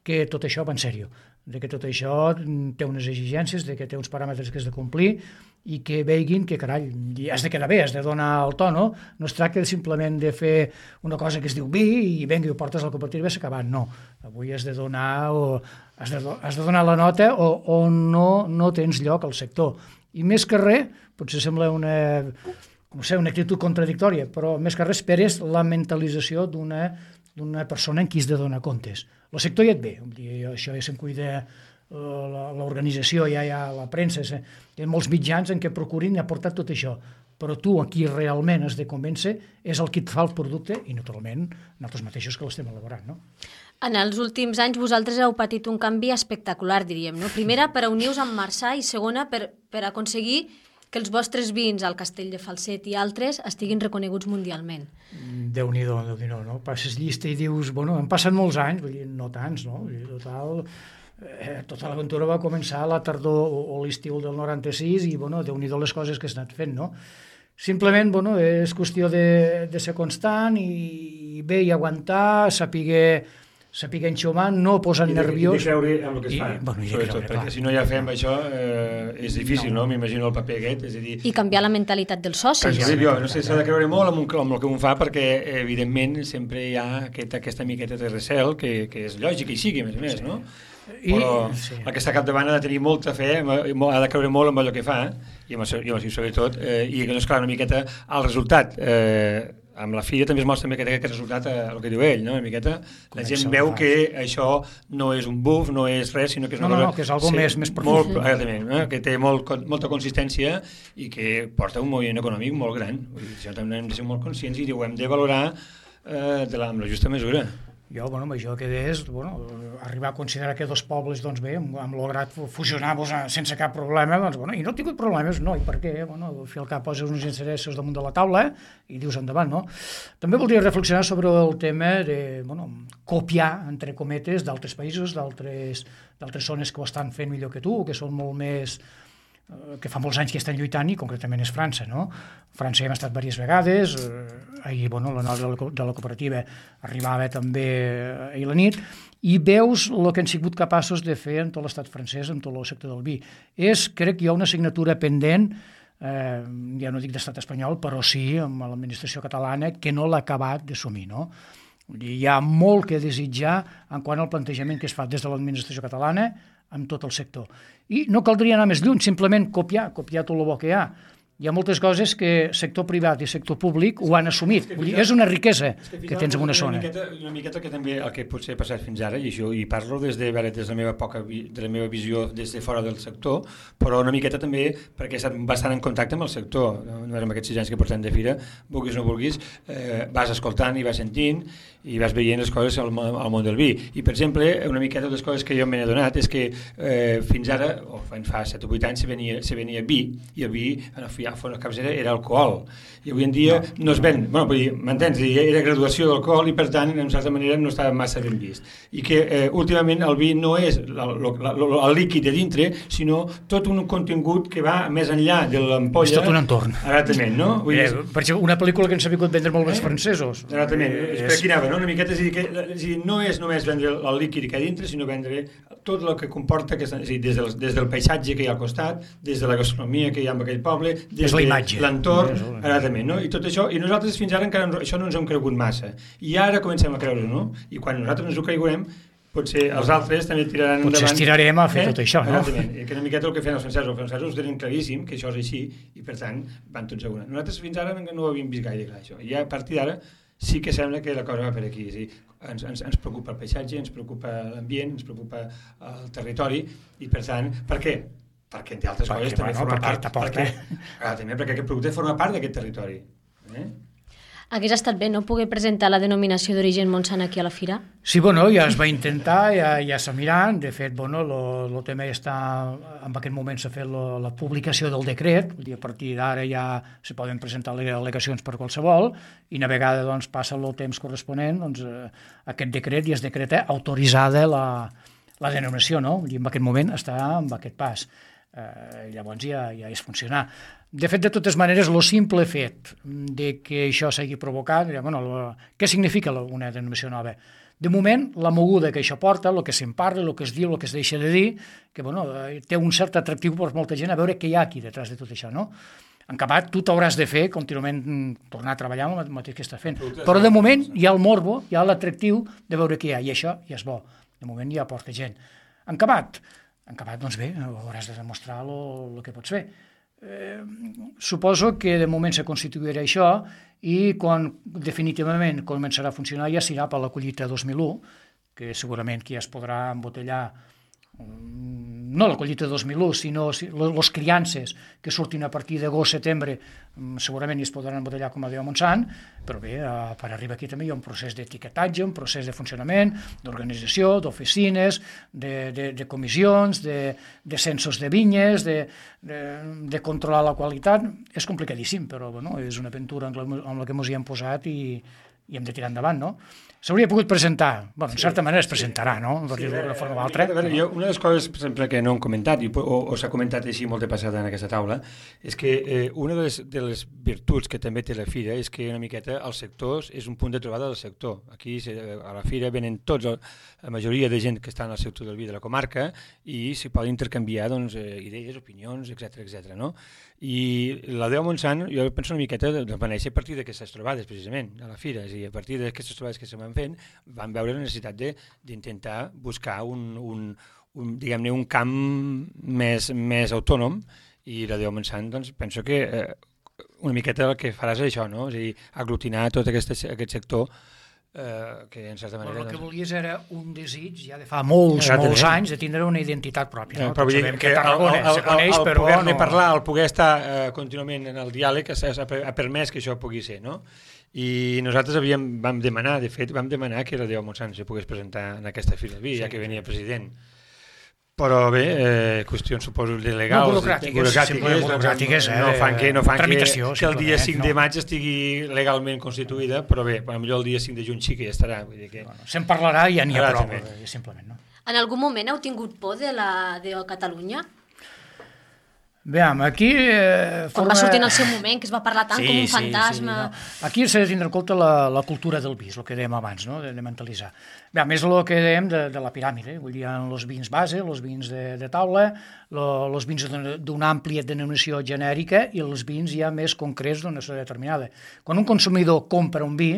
que tot això va en sèrio, de que tot això té unes exigències, de que té uns paràmetres que has de complir i que veguin que, carai, has de quedar bé, has de donar el to, no? No es tracta simplement de fer una cosa que es diu vi i venga i ho portes al cooperativa i s'ha acabat, no. Avui has de donar, o, has de, has de donar la nota o, o no, no tens lloc al sector. I més que res, potser sembla una, no sé, una actitud contradictòria, però més que res esperes la mentalització d'una d'una persona en qui has de donar comptes. El sector ja et ve, això ja se'n cuida l'organització, ja hi ha la premsa, hi ha molts mitjans en què procurin aportar tot això, però tu a qui realment has de convèncer és el qui et fa el producte i naturalment nosaltres mateixos que l'estem elaborant, no? En els últims anys vosaltres heu patit un canvi espectacular, diríem, no? Primera, per unir-vos amb Marçà i segona, per, per aconseguir que els vostres vins al Castell de Falset i altres estiguin reconeguts mundialment. Déu-n'hi-do, Déu-n'hi-do, no? Passes llista i dius, bueno, han passat molts anys, vull dir, no tants, no? Vull dir, total, eh, tota l'aventura va començar a la tardor o, o l'estiu del noranta-sis i, bueno, Déu-n'hi-do les coses que has anat fent, no? Simplement, bueno, és qüestió de, de ser constant i bé i aguantar, saber saber enxumar, no posar nerviós. I de creure en el que es fa, I, bueno, i sobretot, perquè si no ja fem això eh, és difícil, no? no? M'imagino el paper aquest, és a dir... I canviar la mentalitat dels socis. Sí, jo, no sé, s'ha de creure molt en, un, en el que un fa perquè, evidentment, sempre hi ha aquest, aquesta miqueta de recel que, que és lògic que hi sigui, a més a més, sí. no? Però I, sí. el que està capdavant ha de tenir molta fe, ha de creure molt en allò que fa, i, amb, i, i sobretot, eh, i doncs, clar, una miqueta al resultat. Eh, amb la filla també es mostra que aquest resultat, eh, el que diu ell, no? Una miqueta, la gent veu que això no és un buf, no és res, sinó que és una no, cosa... No, no, que és algo sí, més, més profund. Molt, eh, que té molt, molta consistència i que porta un moviment econòmic molt gran. Això també hem de ser molt conscients i ho hem de valorar eh, de la, amb la justa mesura. Jo, bueno, amb això que és, bueno, arribar a considerar que dos pobles, doncs bé, hem, hem lograt fusionar-vos sense cap problema, doncs, bueno, i no he tingut problemes, no, i per què? Bueno, al fi al cap poses uns interessos damunt de la taula i dius endavant, no? També voldria reflexionar sobre el tema de, bueno, copiar, entre cometes, d'altres països, d'altres zones que ho estan fent millor que tu, que són molt més... que fa molts anys que estan lluitant i concretament és França, no? França hi hem estat diverses vegades, eh, ahir, bueno, la nova de la cooperativa arribava també ahir a la nit, i veus el que han sigut capaços de fer en tot l'estat francès, en tot el sector del vi. És, crec que hi ha una assignatura pendent, eh, ja no dic d'estat espanyol, però sí amb l'administració catalana, que no l'ha acabat d'assumir, no? Hi ha molt que desitjar en quant al plantejament que es fa des de l'administració catalana amb tot el sector. I no caldria anar més lluny, simplement copiar, copiar tot el bo que hi ha. hi ha moltes coses que sector privat i sector públic ho han assumit. Vull dir, és una riquesa que tens en una zona. Una miqueta, una miqueta que també el que potser ha passat fins ara, i això i parlo des de, veure, des de la meva poca de la meva visió des de fora del sector, però una miqueta també perquè he estat bastant en contacte amb el sector. Amb aquests sis anys que portem de fira, vulguis o no vulguis, eh, vas escoltant i vas sentint i vas veient les coses al, al món del vi. I, per exemple, una miqueta de les coses que jo m'he adonat és que eh, fins ara, o fa set o vuit anys, se venia, se venia vi, i el vi, en el a fons capçera era alcohol, i avui en dia no, no es ven, bueno, vull dir, m'entens? Era graduació d'alcohol i per tant en certa manera no estava massa ben vist, i que eh, últimament el vi no és la, la, la, la, el líquid de dintre, sinó tot un contingut que va més enllà de l'ampolla. És tot un entorn. Exactament, no? Vull dir, eh, per exemple, una pel·lícula que ens ha vingut vendre molt més eh? francesos. Exactament, eh, per aquí anava, no? Una miqueta, és a dir, que, és a dir, no és només vendre el líquid que hi ha dintre, sinó vendre tot el que comporta, que, és a dir, des, del, des del paisatge que hi ha al costat, des de la gastronomia que hi ha en aquell poble, des de l'entorn, exactament, no? I tot això, i nosaltres fins ara encara no, això no ens hem cregut massa, i ara comencem a creure, no? I quan nosaltres ens ho creurem, potser els altres també tiraran potser endavant. Potser estirarem a fer eh? tot això, no? Exactament, i que una miqueta el que feien els francesos, els francesos ho tenen claríssim, que això és així, i per tant van tots a una. Nosaltres fins ara no ho havíem vist gaire clar, això, i a partir d'ara sí que sembla que la cosa va per aquí, és a dir, ens, ens, ens preocupa el paisatge, ens preocupa l'ambient, ens preocupa el territori, i per tant, per què? Perquè entre altres coses també forma part, perquè, ah, també perquè aquest producte forma part d'aquest territori. Eh? Hagués estat bé, no?, poder presentar la denominació d'origen Montsant aquí a la fira? Sí, bueno, ja es va intentar, ja, ja s'ha mirat, de fet, bueno, el tema ja està, en aquest moment s'ha fet lo, la publicació del decret, vull dir, a partir d'ara ja se poden presentar les al·legacions per qualsevol, i una vegada doncs, passa el temps corresponent, doncs, eh, aquest decret i es decreta autoritzada la, la denominació, no? Vull dir, en aquest moment està en aquest pas. Eh, llavors ja, ja és funcionar. De fet, de totes maneres, el simple fet de que això s'hagi provocat, bueno, lo, què significa una denominació nova? De moment, la moguda que això porta, el que se'n parla, el que es diu, el que es deixa de dir, que bueno, té un cert atractiu per molta gent a veure què hi ha aquí detrás de tot això, no? En acabat, tu t'hauràs de fer contínuament tornar a treballar amb el mateix que estàs fent. Però de moment hi ha el morbo, hi ha l'atractiu de veure què hi ha, i això ja és bo. De moment ja porta gent. En acabat, en acabat, doncs bé, hauràs de demostrar el que pots fer. Eh, suposo que de moment se constituirà això i quan definitivament començarà a funcionar ja serà per la collita dos mil u, que segurament que ja es podrà embotellar, no la collita dos mil u, sinó les criances que surtin a partir d'agost-setembre, segurament es podran embotellar com a Déu Montsant, però bé, per arribar aquí també hi ha un procés d'etiquetatge, un procés de funcionament, d'organització, d'oficines, de, de, de comissions, de, de censos de vinyes, de, de, de controlar la qualitat. És complicadíssim, però bueno, és una aventura amb la, amb la que ens hi hem posat i, i hem de tirar endavant, no? S'hauria pogut presentar, bueno, en certa manera es presentarà, no? Per dir-ho d'una forma o altra. Jo, una de les coses, per exemple, que no hem comentat, i, o, o s'ha comentat així molt de passada en aquesta taula, és que eh, una de les, de les virtuts que també té la fira és que una miqueta els sectors és un punt de trobada del sector. Aquí a la fira venen tots, la majoria de gent que està en el sector del vi de la comarca i s'hi poden intercanviar doncs, eh, idees, opinions, etcètera, etcètera, no? I la Déu Montsant, jo penso una miqueta, va néixer a partir d'aquestes trobades, precisament, a la fira, és a dir, a partir d'aquestes trobades que se van fent, van veure la necessitat d'intentar buscar un, un, un, diguem-ne, un camp més, més autònom, i la Déu Montsant, doncs, penso que eh, una miqueta el que faràs és això, no? És a dir, aglutinar tot aquest, aquest sector eh, que en certa manera... Però el que volies era un desig, ja de fa molts, molts anys, de tindre una identitat pròpia, no? Però sabem que Tarragona se coneix, però... El poder-ne parlar, el poder estar eh, contínuament en el diàleg ha permès que això pugui ser, no? I nosaltres havíem, vam demanar, de fet, vam demanar que la Déu Montsant se pogués presentar en aquesta fira del vi, ja que venia president. Però bé, eh, qüestions, suposo, de legals... No, burocràtiques, simplement burocràtiques, eh? No fan que, no fan que, que el dia cinc no. de maig estigui legalment constituïda, però bé, potser el dia cinc de juny sí que ja estarà. Vull dir que... Bueno, se'n parlarà i ja n'hi ha prou, simplement, no? En algun moment heu tingut por de la de Catalunya? Veiem, aquí... Eh, forma... Quan va sortir en el seu moment, que es va parlar tant sí, com un fantasma... Sí, sí, no. Aquí s'ha de tindre en compte la, la cultura del vi, el que dèiem abans, no? de, de mentalitzar. Veiem, és el que dèiem de, de la piràmide, vull dir, els vins base, els vins de, de taula, els vins d'una àmplia denominació genèrica i els vins ja més concrets d'una zona determinada. Quan un consumidor compra un vi,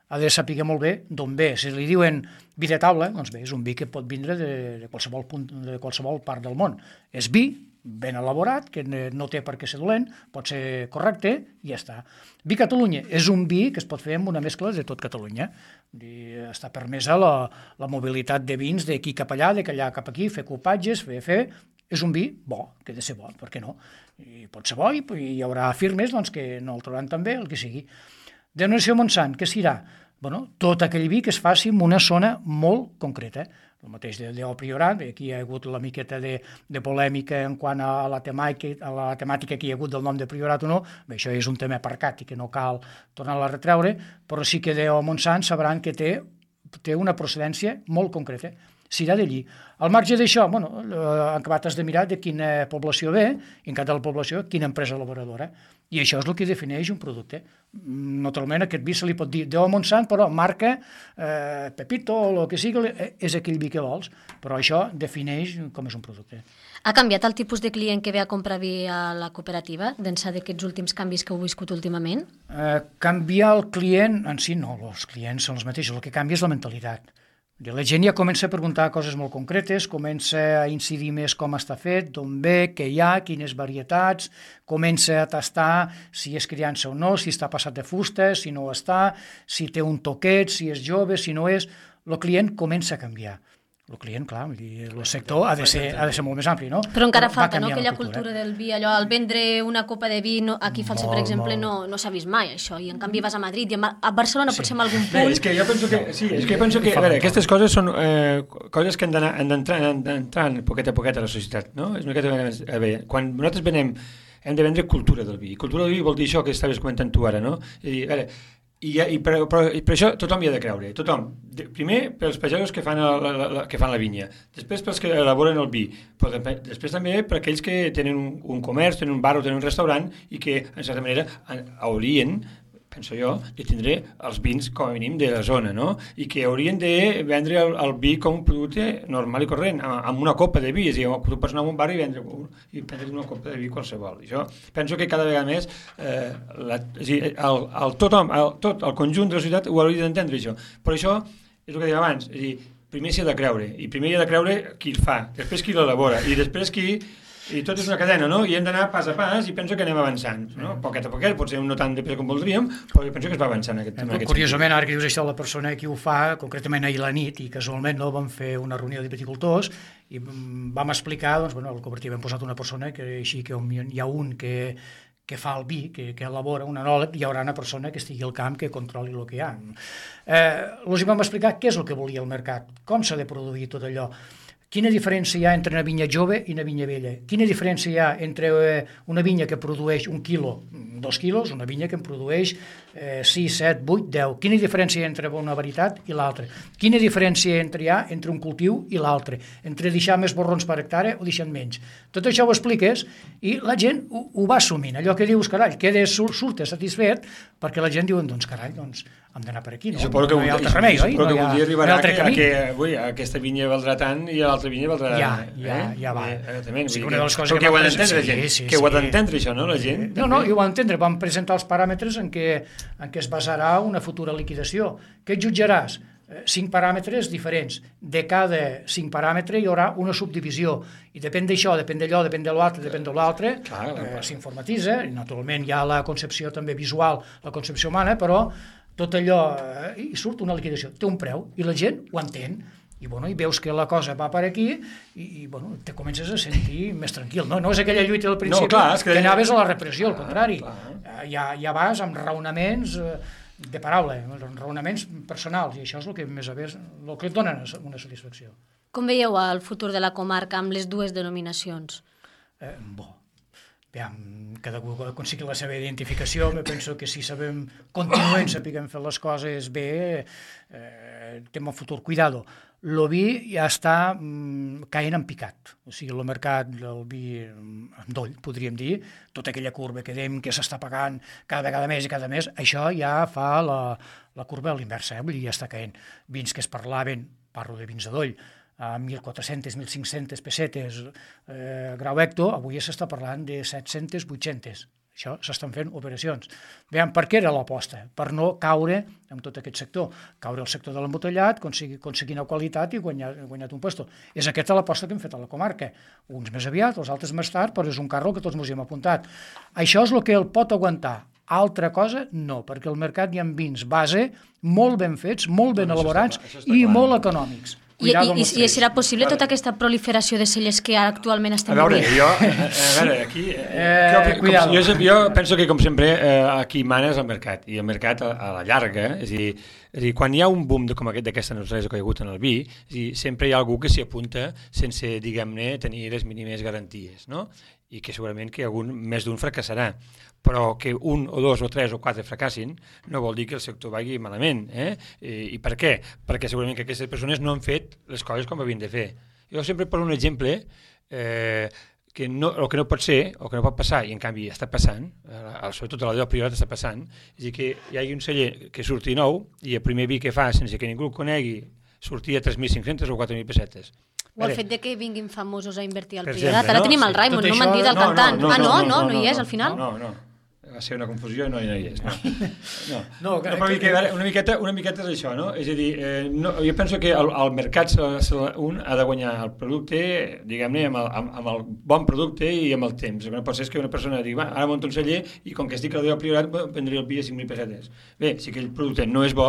ha de saber molt bé d'on ve. Si li diuen vi de taula, doncs bé, és un vi que pot vindre de, de, qualsevol punt, de qualsevol part del món. És vi, ben elaborat, que no té per què ser dolent, pot ser correcte i ja està. Vi Catalunya és un vi que es pot fer amb una mescla de tot Catalunya. I està permesa la, la mobilitat de vins d'aquí cap allà, d'allà cap aquí, fer copatges, fer, fer... És un vi bo, que ha de ser bo, per què no? I pot ser bo i hi haurà firmes doncs, que no el trobaran tan bé, el que sigui. Denominació Montsant, què serà? Bueno, tot aquell vi que es faci en una zona molt concreta. El mateix de, de Priorat, aquí hi ha hagut la miqueta de, de polèmica en quant a la, temàtica, a la temàtica que hi ha hagut del nom de Priorat o no. Bé, això és un tema aparcat i que no cal tornar-la a retreure, però sí que de Montsant sabran que té, té una procedència molt concreta. Serà d'allí. Al marge d'això, bueno, en acabat has de mirar de quina població ve, i en cada població quina empresa elaboradora. I això és el que defineix un producte. Naturalment, aquest vi se li pot dir de Montsant, però marca eh, Pepito o el que sigui, és aquell vi que vols, però això defineix com és un producte. Ha canviat el tipus de client que ve a comprar vi a la cooperativa, d'ençà d'aquests últims canvis que heu viscut últimament? Eh, canviar el client, en si no, els clients són els mateixos, el que canvia és la mentalitat. La gent ja comença a preguntar coses molt concretes, comença a incidir més com està fet, d'on ve, què hi ha, quines varietats, comença a tastar si és criança o no, si està passat de fusta, si no ho està, si té un toquet, si és jove, si no és... El client comença a canviar. El client, clar, el sector ha de ser, ha de ser molt més ampli, no? Però encara falta, no?, aquella cultura del vi, allò, al vendre una copa de vi, no, aquí a Falset, per exemple, no, no s'ha vist mai, això, i en canvi vas a Madrid, i a Barcelona sí. Potser en algun punt... Bé, és que jo penso que, sí, és que jo penso que, a veure, aquestes coses són eh, coses que han d'anar, han d'entrar, han d'entrar poquet a poquet a la societat, no? És una miqueta, a veure, quan nosaltres venem, hem de vendre cultura del vi, cultura del vi vol dir això que estaves comentant tu ara, no? És a dir, a veure, I, i, per, però, i per això tothom hi ha de creure, tothom. De, primer pels pagesos que fan, la, la, la, que fan la vinya, després pels que elaboren el vi, però després també per aquells que tenen un, un comerç, tenen un bar o tenen un restaurant i que, en certa manera, haurien, penso jo, de tindre els vins com a mínim de la zona, no? I que haurien de vendre el, el vi com un producte normal i corrent, amb una copa de vi, és a dir, tu pots anar a un bar i vendre, i prendre una copa de vi qualsevol. I això penso que cada vegada més eh, la, és a dir, el, el, tothom, el, tot el conjunt de la societat ho hauria d'entendre, això. Però això és el que deia abans, és a dir, primer s'hi ha de creure, i primer hi ha de creure qui el fa, després qui l'elabora, i després qui... I tot és una cadena, no? I hem d'anar pas a pas i penso que anem avançant, no? Poquet a poquet, potser no tan de pressa com voldríem, però jo penso que es va avançant en aquest, en aquest Curiosament, sentit. Ara que dius això, la persona que ho fa, concretament ahir la nit, i casualment no, vam fer una reunió de viticultors i vam explicar, doncs, bueno, al cooperatiu hem posat una persona que així que hi ha un que que fa el vi, que, que elabora un enòleg, hi haurà una persona que estigui al camp que controli el que hi ha. Eh, els vam explicar què és el que volia el mercat, com s'ha de produir tot allò, quina diferència hi ha entre una vinya jove i una vinya vella? Quina diferència hi ha entre una vinya que produeix un quilo, dos quilos, una vinya que en produeix eh, sis, set, vuit, deu? Quina diferència hi ha entre una varietat i l'altra? Quina diferència entre hi ha entre un cultiu i l'altre? Entre deixar més borrons per hectàrea o deixant menys? Tot això ho expliques i la gent ho, ho va assumint. Allò que dius, carall, queda surt satisfet, perquè la gent diu, doncs, carall, doncs, hem d'anar per aquí, no? I suposo que, no hi ha altre remei, oi? Suposo que no un dia arribarà que, que, que ui, aquesta vinya valdrà tant i l'altra vinya valdrà... Ja, ja, eh? ja va. Eh, també, sí, que, una de les coses que, que, que ho ha d'entendre, d'entendre, gent. Sí, sí, que ho ha sí. d'entendre, això, no, la gent? No, no, ho ha d'entendre. Vam presentar els paràmetres en què, en què es basarà una futura liquidació. Què jutjaràs? Cinc paràmetres diferents. De cada cinc paràmetres hi haurà una subdivisió. I depèn d'això, depèn d'allò, depèn de l'altre, depèn de l'altre, eh, s'informatitza. Naturalment hi ha la concepció també visual, la concepció humana, però tot allò, eh, i surt una liquidació. Té un preu i la gent ho entén. I, bueno, i veus que la cosa va per aquí i, i bueno, te comences a sentir més tranquil. No, no és aquella lluita del principi no, clar, que... que anaves a la repressió, al contrari. Ah, ja, ja vas amb raonaments de paraula, raonaments personals, i això és el que més a més, el que et dona una satisfacció. Com veieu el futur de la comarca amb les dues denominacions? Eh, bo. Aviam, cada algú aconseguir la seva identificació, me penso que si sabem, continuem sapiguem fer les coses bé, eh, tema futur, cuidado. El vi ja està mm, caient en picat, o sigui, el mercat del vi en doll, podríem dir, tota aquella curva que dèiem que s'està pagant cada vegada més i cada més, això ja fa la, la curva a l'inversa, eh? Vull dir, ja està caient. Vins que es parlaven, parlo de vins de doll, a mil quatre-centes, mil cinc-centes pessetes eh, grau hecto, avui s'està parlant de set-centes, vuit-centes. Això s'estan fent operacions. Veiem, per què era l'aposta? Per no caure en tot aquest sector. Caure al sector de l'embotellat, aconseguir, aconseguir una qualitat i guanyar, guanyar un puesto. És aquesta l'aposta que hem fet a la comarca. Uns més aviat, els altres més tard, però és un carro que tots ens hi hem apuntat. Això és el que el pot aguantar. Altra cosa, no, perquè al mercat hi ha vins base molt ben fets, molt ben elaborats i molt econòmics. I, i, i serà possible tota aquesta proliferació de cellers que ara actualment estem vivint? A veure, vivint? jo, a, a veure, aquí... Eh, com, jo, jo penso que, com sempre, eh, aquí mana és el mercat, i el mercat a, a la llarga, és a dir, és a dir, quan hi ha un boom de, com aquest d'aquesta naturalesa que hi ha hagut en el vi, és a dir, sempre hi ha algú que s'hi apunta sense, diguem-ne, tenir les mínimes garanties, no? I que segurament que algun, més d'un fracassarà. Però que un o dos o tres o quatre fracassin no vol dir que el sector vagi malament. Eh? I, I per què? Perquè segurament que aquestes persones no han fet les coses com havien de fer. Jo sempre poso un exemple eh, que no, el que no pot ser o que no pot passar, i en canvi està passant, eh, sobretot a la del Priorat està passant, és a dir, que hi hagi un celler que surti nou i el primer vi que fa sense que ningú el conegui sortia a tres mil cinc-centes o quatre mil pessetes. O el fet de que vinguin famosos a invertir al Priorat. Ara tenim el Raimon, no m'han dit el no, cantant. No, no, ah, no? No, No, no, no hi és al final? No, no. Va ser una confusió i no, no hi és. No, no. no, que, no que, una, miqueta, una miqueta és això, no? És a dir, eh, no, jo penso que el, el mercat se, se, un ha de guanyar el producte, diguem-ne, amb, amb, amb el bon producte i amb el temps. El que no pot ser és que una persona digui, va, ara monto un celler i com que estic al dia Priorat vendré el vi a cinc mil pessetes. Bé, si aquell producte no és bo,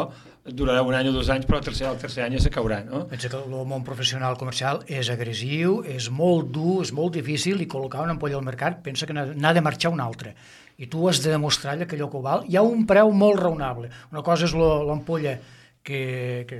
durarà un any o dos anys, però el tercer, el tercer any ja se caurà, no? Pensa que el món professional comercial és agressiu, és molt dur, és molt difícil, i col·locar una ampolla al mercat pensa que n'ha de marxar una altra. I tu has de demostrar que allò que ho val, hi ha un preu molt raonable. Una cosa és l'ampolla que, que,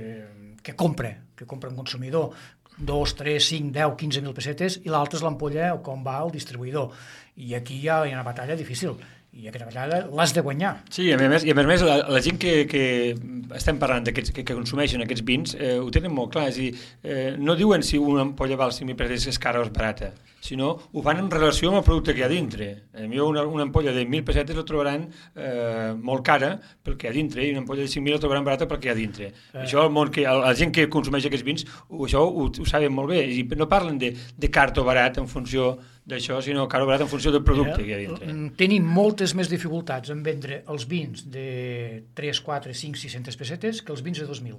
que compra, que compra un consumidor, dos, tres, cinc, deu, quinze mil pessetes, i l'altra és l'ampolla com va el distribuïdor. I aquí hi ha una batalla difícil. I aquesta vegada l'has de guanyar. Sí, i a més, i a més la, la gent que, que estem parlant d'aquests que, que consumeixen aquests vins eh, ho tenen molt clar, és a dir, eh, no diuen si una ampolla val cinc mil pessetes és cara o és barata, sinó ho fan en relació amb el producte que hi ha dintre. A mi una, una ampolla de mil pessetes la trobaran eh, molt cara pel que hi ha dintre, i una ampolla de cinc mil la trobaran barata pel que hi ha dintre. Eh. Això el món que, el, la gent que consumeix aquests vins ho, això ho, ho saben molt bé, i no parlen de, de car o barat en funció d'això, sinó car o barat en funció del producte que hi ha dintre. Tenim moltes més dificultats en vendre els vins de tres, quatre, cinc, sis-centes pessetes que els vins de dos mil.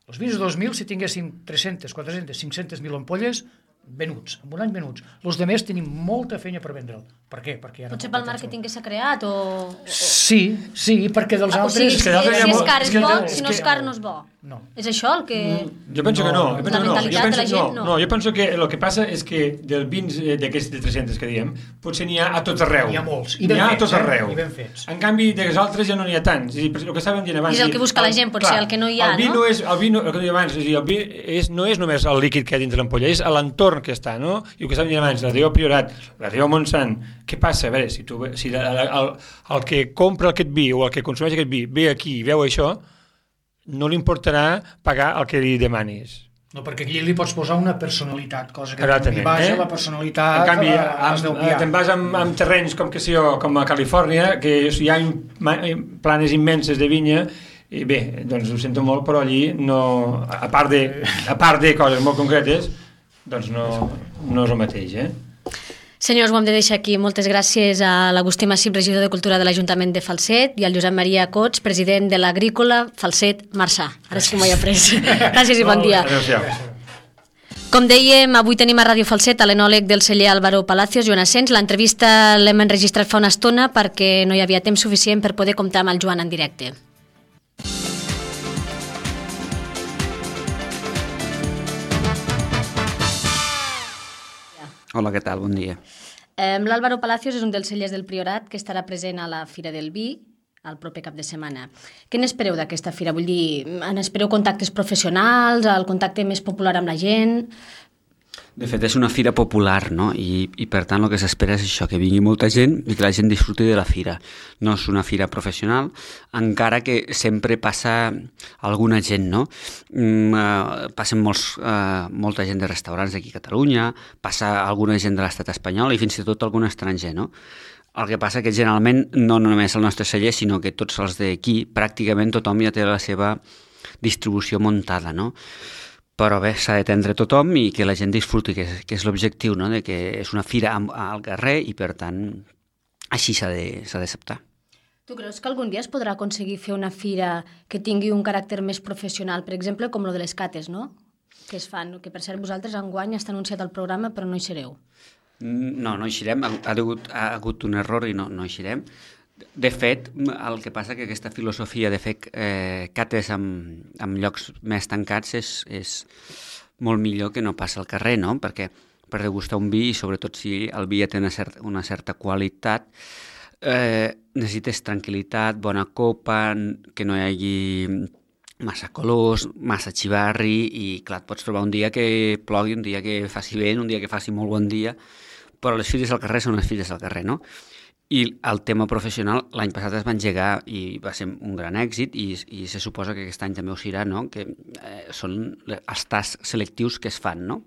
Els vins de dos mil, si tinguéssim tres-centes, quatre-centes, cinc-centes mil ampolles, venuts, en un any venuts. Els de més tenim molta feina per vendre'l. Per què? Perquè potser pel màrqueting que s'ha creat o... Sí, sí, perquè dels ah, altres... O sigui, si, si és car és bo, si no és car no és bo. No. És això el que... Jo penso no, que no. Jo penso la que no. mentalitat Jo penso, de la gent, no. No, jo penso que el que passa és que dels vins d'aquests de tres-centes que diem, potser n'hi ha a tot arreu. N'hi ha molts. I ben ha fets, a tot arreu. Eh? I ben fets. En canvi, dels altres ja no n'hi ha tants. És dir, el que estàvem dient abans... És el que busca la gent, potser, el que no hi ha, el vi no? no és, el vi no, el que deia abans, és dir, el vi és, no és només el líquid que hi ha dintre l'ampolla, és l'entorn que està, no? I el que estàvem dient abans, la Déu Priorat, la Déu Montsant, què passa? A veure, si, tu, si el, el, el que compra aquest vi o el que consumeix aquest vi ve aquí i veu això, no li importarà pagar el que li demanis. No, perquè aquí li pots posar una personalitat, cosa que li basa eh? la personalitat... En canvi, amb, te'n vas amb, amb terrenys com que sé jo, com a Califòrnia, que hi ha planes immenses de vinya, i bé, doncs ho sento molt, però allí no, a part de, a part de coses molt concretes, doncs no, no és el mateix, eh? Senyors, ho hem de deixar aquí. Moltes gràcies a l'Agustí Massip, regidor de Cultura de l'Ajuntament de Falset, i al Josep Maria Cots, president de l'Agrícola Falset Marçà. Ara sí que m'ho he après. Gràcies i bon dia. Com dèiem, avui tenim a Ràdio Falset a l'enòleg del celler Álvaro Palacios, Joan Asens. L'entrevista l'hem enregistrat fa una estona perquè no hi havia temps suficient per poder comptar amb el Joan en directe. Hola, què tal? Bon dia. Eh, L'Álvaro Palacios és un dels cellers del Priorat que estarà present a la Fira del Vi el proper cap de setmana. Què n'espereu d'aquesta fira? Vull dir, n'espereu contactes professionals, el contacte més popular amb la gent? De fet, és una fira popular, no? I, i per tant el que s'espera és això, que vingui molta gent i que la gent disfruti de la fira. No és una fira professional, encara que sempre passa alguna gent, no? Mm, eh, passen molts, eh, molta gent de restaurants d'aquí a Catalunya, passa alguna gent de l'estat espanyol i fins i tot algun estranger, no? El que passa que generalment no només el nostre celler, sinó que tots els d'aquí, pràcticament tothom ja té la seva distribució muntada, no? Però bé, s'ha d'atendre tothom i que la gent disfruti, que és, que és l'objectiu, no? De que és una fira al carrer i, per tant, així s'ha d'acceptar. Tu creus que algun dia es podrà aconseguir fer una fira que tingui un caràcter més professional, per exemple, com lo de les cates, no? Que es fan, que per cert vosaltres enguany està anunciat el programa però no hi sereu. No, no hi serem, ha, ha, hagut, ha hagut un error i no, no hi serem. De fet, el que passa que aquesta filosofia de fer eh, cates en, en llocs més tancats és, és molt millor que no passa al carrer, no? Perquè per degustar un vi, i sobretot si el vi ja té una certa, una certa qualitat, eh, necessites tranquil·litat, bona copa, que no hi hagi massa colors, massa xivarri, i clar, et pots trobar un dia que plogui, un dia que faci vent, un dia que faci molt bon dia, però les fires al carrer són les fires al carrer, no? I el tema professional l'any passat es va engegar i va ser un gran èxit i, i se suposa que aquest any també ho serà, no? Que eh, són els tasts selectius que es fan, no?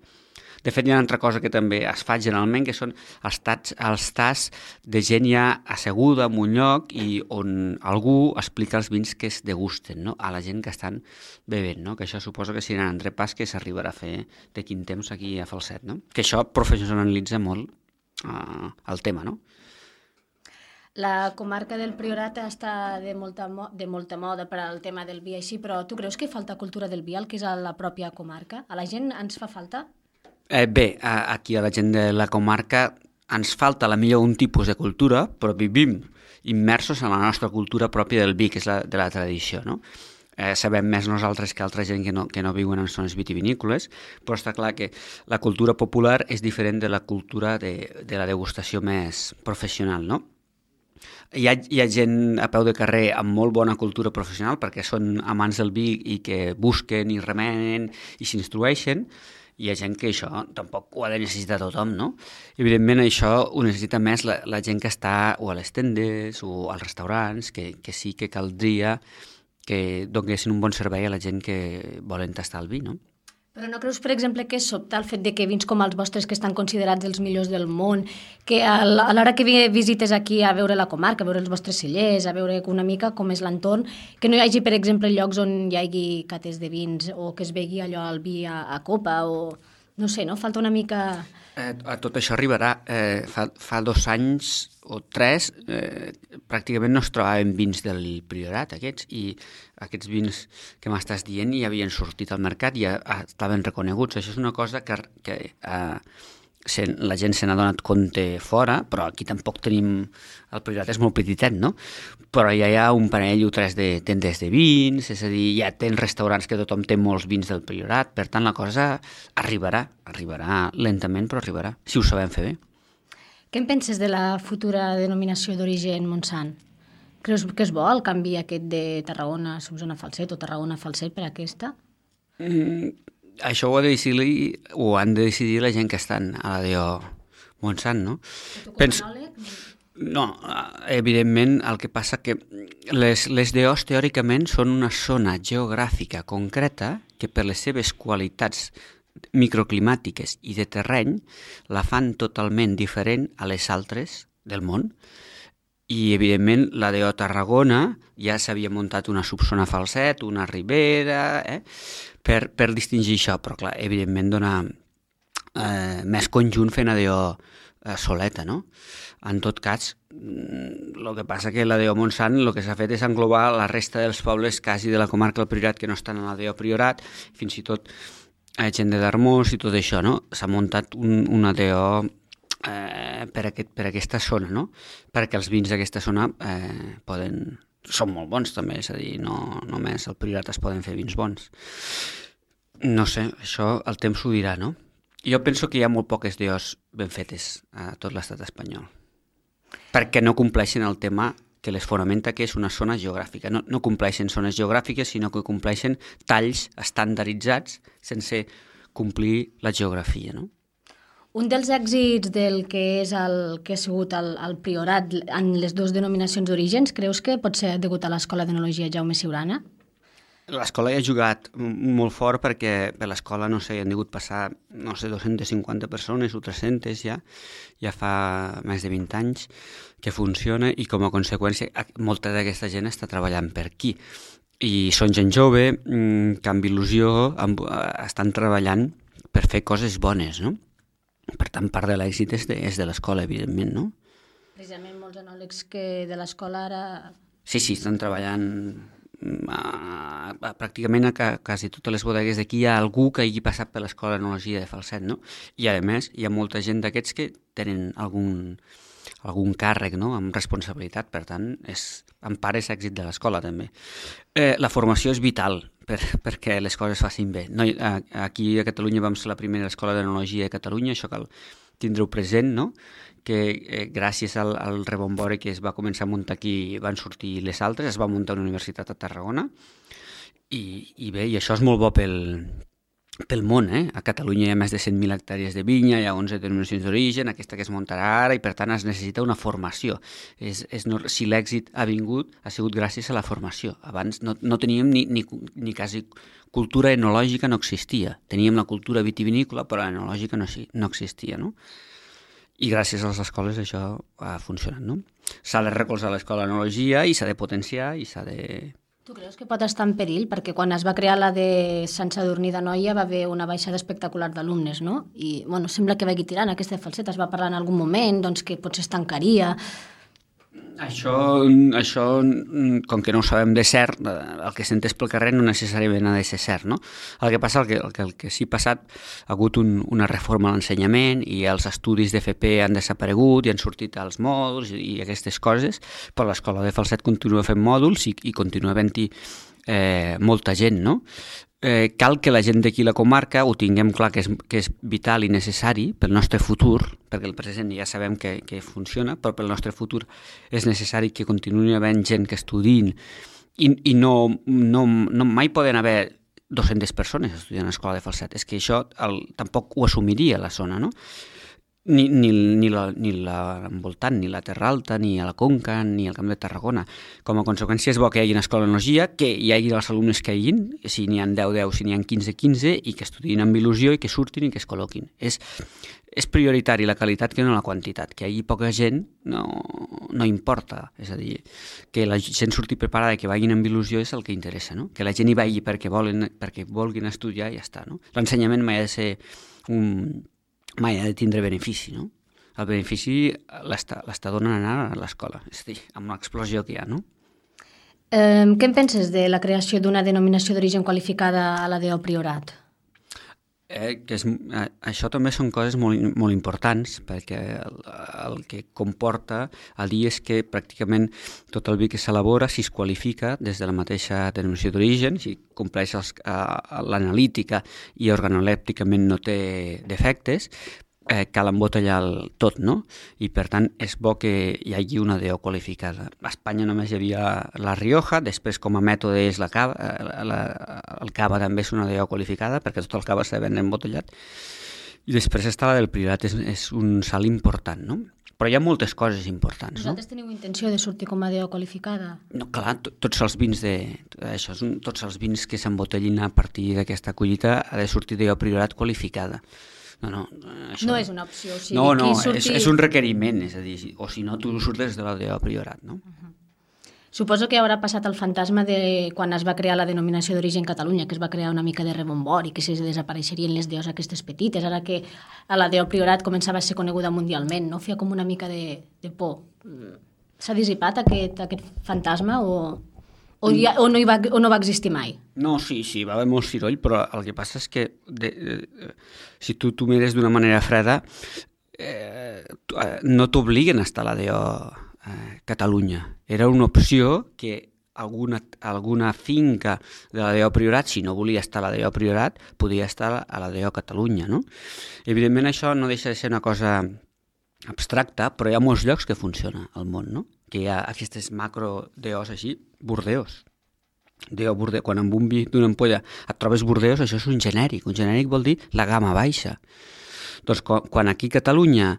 De fet, hi ha una altra cosa que també es fa generalment, que són els tasts, els tasts de gent ja asseguda en un lloc i on algú explica els vins que es degusten, no? A la gent que estan bevent, no? Que això suposa que serà un entrepàs que s'arribarà a fer de quin temps aquí a Falset, no? Que això professionalitza molt eh, el tema, no? La comarca del Priorat està de molta, de molta moda per al tema del vi així, però tu creus que falta cultura del vi, el que és a la pròpia comarca? A la gent ens fa falta? Eh, bé, aquí a la gent de la comarca ens falta a la millor un tipus de cultura, però vivim immersos en la nostra cultura pròpia del vi, que és la de la tradició, no? Eh, sabem més nosaltres que altra gent que no, que no viuen en zones vitivinícoles, però està clar que la cultura popular és diferent de la cultura de, de la degustació més professional, no? Hi ha, hi ha gent a peu de carrer amb molt bona cultura professional perquè són amants del vi i que busquen i remenen i s'instrueixen. Hi ha gent que això tampoc ho ha de necessitar tothom, no? Evidentment això ho necessita més la, la gent que està o a les tendes o als restaurants, que, que sí que caldria que donessin un bon servei a la gent que volen tastar el vi, no? Però no creus, per exemple, que sobta el fet de que vins com els vostres, que estan considerats els millors del món, que a l'hora que visites aquí a veure la comarca, a veure els vostres cellers, a veure una mica com és l'entorn, que no hi hagi, per exemple, llocs on hi hagi cates de vins o que es begui allò al vi a, a copa o... No sé, no? Falta una mica... Eh, a tot això arribarà. Eh, fa, fa dos anys o tres eh, pràcticament no es trobaven vins del Priorat, aquests, i aquests vins que m'estàs dient ja havien sortit al mercat i ja estaven reconeguts. Això és una cosa que, que eh, se, la gent se n'ha donat compte fora, però aquí tampoc tenim... El Priorat és molt petitet, no? Però ja hi ha un parell o tres de tendes de vins, és a dir, ja tens restaurants que tothom té molts vins del Priorat, per tant la cosa arribarà, arribarà lentament, però arribarà, si ho sabem fer bé. Què en penses de la futura denominació d'origen Montsant? Creus que és bo el canvi aquest de Tarragona a Solsona Falset o Tarragona Falset per aquesta? Mm, això ho, ha de decidir, ho han de decidir la gent que estan a la D O Montsant, no? Tu com a Pens... enòleg? No, evidentment el que passa que les, les D Os teòricament són una zona geogràfica concreta que per les seves qualitats microclimàtiques i de terreny la fan totalment diferent a les altres del món. I, evidentment, la D O Tarragona ja s'havia muntat una subzona Falset, una Ribera, eh, per, per distingir això, però, clar, evidentment dona eh, més conjunt fer una D O eh, soleta, no? En tot cas, el que passa que la D O Montsant el que s'ha fet és englobar la resta dels pobles quasi de la comarca del Priorat que no estan a la D O Priorat, fins i tot eh, gent de Darmós i tot això, no? S'ha muntat un, una D O eh, per, aquest, per aquesta zona, no? Perquè els vins d'aquesta zona eh, poden... són molt bons també, és a dir, no només al Priorat es poden fer vins bons. No sé, això el temps ho dirà, no? Jo penso que hi ha molt poques D Os ben fetes a tot l'estat espanyol, perquè no compleixen el tema que les fonamenta, que és una zona geogràfica. No, no compleixen zones geogràfiques, sinó que compleixen talls estandarditzats sense complir la geografia, no? Un dels èxits del que és el que ha sigut el, el Priorat en les dues denominacions d'orígens, creus que pot ser degut a l'Escola d'Enologia Jaume Siurana? L'escola hi ha jugat molt fort perquè per l'escola, no sé, hi han degut passar, no sé, dues-centes cinquanta persones o tres-centes ja, ja fa més de vint anys que funciona i com a conseqüència molta d'aquesta gent està treballant per aquí. I són gent jove, que amb il·lusió estan treballant per fer coses bones, no? Per tant, part de l'èxit és de, és de l'escola, evidentment, no? Precisament molts els enòlegs que de l'escola ara... Sí, sí, estan treballant a, a, pràcticament a, a quasi totes les bodegues d'aquí. Hi ha algú que hagi passat per l'escola d'enologia de Falset, no? I a més hi ha molta gent d'aquests que tenen algun, algun càrrec, no?, amb responsabilitat, per tant, és, en part és èxit de l'escola també. Eh, la formació és vital per, perquè les coses facin bé. No, a, aquí a Catalunya vam ser la primera escola d'enologia de Catalunya, això cal tindre-ho present, no?, que eh, gràcies al, al rebombori que es va començar a muntar aquí van sortir les altres, es va muntar una universitat a Tarragona i, i bé, i això és molt bo pel, pel món, eh? A Catalunya hi ha més de cent mil hectàrees de vinya, hi ha onze denominacions d'origen, aquesta que es muntarà ara, i per tant es necessita una formació. És, és no, si l'èxit ha vingut, ha sigut gràcies a la formació. Abans no, no teníem ni, ni, ni quasi cultura enològica, no existia. Teníem la cultura vitivinícola, però l'enològica no, no existia, no? I gràcies a les escoles això ha funcionat, no? S'ha de recolzar l'escola d'enologia i s'ha de potenciar i s'ha de... Tu creus que pot estar en perill? Perquè quan es va crear la de Sant Sadurní d'Anoia va haver una baixada espectacular d'alumnes, no? I, bueno, sembla que vagi tirant aquesta de Falset. Es va parlar en algun moment, doncs, que potser es tancaria. Això, això, com que no ho sabem de cert, el que s'entès pel carrer no necessàriament ha de ser cert, no? El que passa, el que, el que, el que sí ha passat, ha hagut un, una reforma a l'ensenyament i els estudis d'F P han desaparegut i han sortit els mòduls i, i aquestes coses, però l'escola de Falset continua fent mòduls i, i continua havent-hi eh, molta gent, no? Eh, cal que la gent d'aquí la comarca ho tinguem clar que és, que és vital i necessari pel nostre futur, perquè el present ja sabem que, que funciona, però pel nostre futur és necessari que continuï havent gent que estudiïn i, i no, no, no mai poden haver dues-centes persones estudiant a l'escola de Falset. És que això el, tampoc ho assumiria la zona, no? Ni, ni, ni, la, ni la envoltant, ni la Terra Alta, ni a la Conca, ni al Camp de Tarragona. Com a conseqüència és bo que hi hagi una escola d'enologia, que hi hagi els alumnes que hi hagin, si n'hi ha deu deu, si n'hi ha quinze quinze, i que estudiïn amb il·lusió i que surtin i que es col·loquin. És, és prioritari la qualitat que no la quantitat. Que hi hagi poca gent no, no importa. És a dir, que la gent surti preparada i que vagin amb il·lusió és el que interessa, no? Que la gent hi vagi perquè, volen, perquè vulguin estudiar i ja està, no? L'ensenyament mai ha de ser un... mai ha de tindre benefici, no? El benefici l'està donant a l'escola, és a dir, amb l'explosió que hi ha, no? Eh, què en penses de la creació d'una denominació d'origen qualificada a la D O Priorat? Eh, que és, eh, això també són coses molt, molt importants, perquè el, el que comporta el dir és que pràcticament tot el vi que s'elabora, si es qualifica des de la mateixa denominació d'origen, si compleix els, eh, l'analítica i organolèpticament no té defectes, eh, cal embotellar el tot, no? I per tant és bo que hi hagi una D O qualificada. A Espanya només hi havia la Rioja, després com a mètode és la cava, la, la, el cava també és una D O qualificada perquè tot el cava s'ha de vendre embotellat, i després està la del Priorat, és, és un salt important, no? Però hi ha moltes coses importants, no? Vosaltres teniu intenció de sortir com a D O qualificada? No, clar, tots els vins de, això és un, tots els vins que s'embotellin a partir d'aquesta collita ha de sortir D O Priorat qualificada. No, no, això... no és una opció. O sigui, no, no, surti... és, és un requeriment, és a dir, o si no, tu surtes de la D O Priorat, no? Uh-huh. Suposo que haurà passat el fantasma de quan es va crear la denominació d'origen Catalunya, que es va crear una mica de rebombori, que se desapareixerien les D Os aquestes petites, ara que a la D O Priorat començava a ser coneguda mundialment, no? Feia com una mica de, de por. S'ha dissipat aquest, aquest fantasma o... O, ja, o, no hi va, o no va existir mai? No, sí, sí, va haver molt ciroll, però el que passa és que de, de, si tu t'ho mires d'una manera freda, eh, no t'obliguen a estar a la D O eh, Catalunya. Era una opció que alguna, alguna finca de la D O Priorat, si no volia estar a la D O Priorat, podia estar a la D O Catalunya, no? Evidentment això no deixa de ser una cosa abstracta, però hi ha molts llocs que funciona al món, no? Que hi ha aquestes macro D Os així, Bordeus. D O Bordeus. Quan amb un vi d'una ampolla et trobes Bordeus, això és un genèric. Un genèric vol dir la gamma baixa. Doncs quan, quan aquí a Catalunya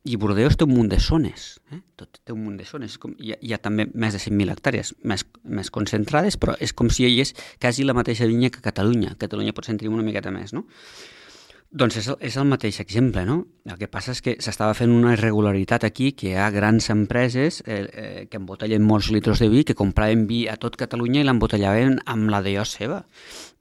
i Bordeus té un munt de zones, eh? Tot té un munt de zones, com, hi, ha, hi ha també més de cent mil hectàrees més, més concentrades, però és com si hi hagués quasi la mateixa vinya que Catalunya. Catalunya potser en tenim una miqueta més, no? Doncs és el, és el mateix exemple, no? El que passa és que s'estava fent una irregularitat aquí, que hi ha grans empreses eh, eh, que embotellen molts litres de vi, que compraven vi a tot Catalunya i l'embotellaven amb la D O seva.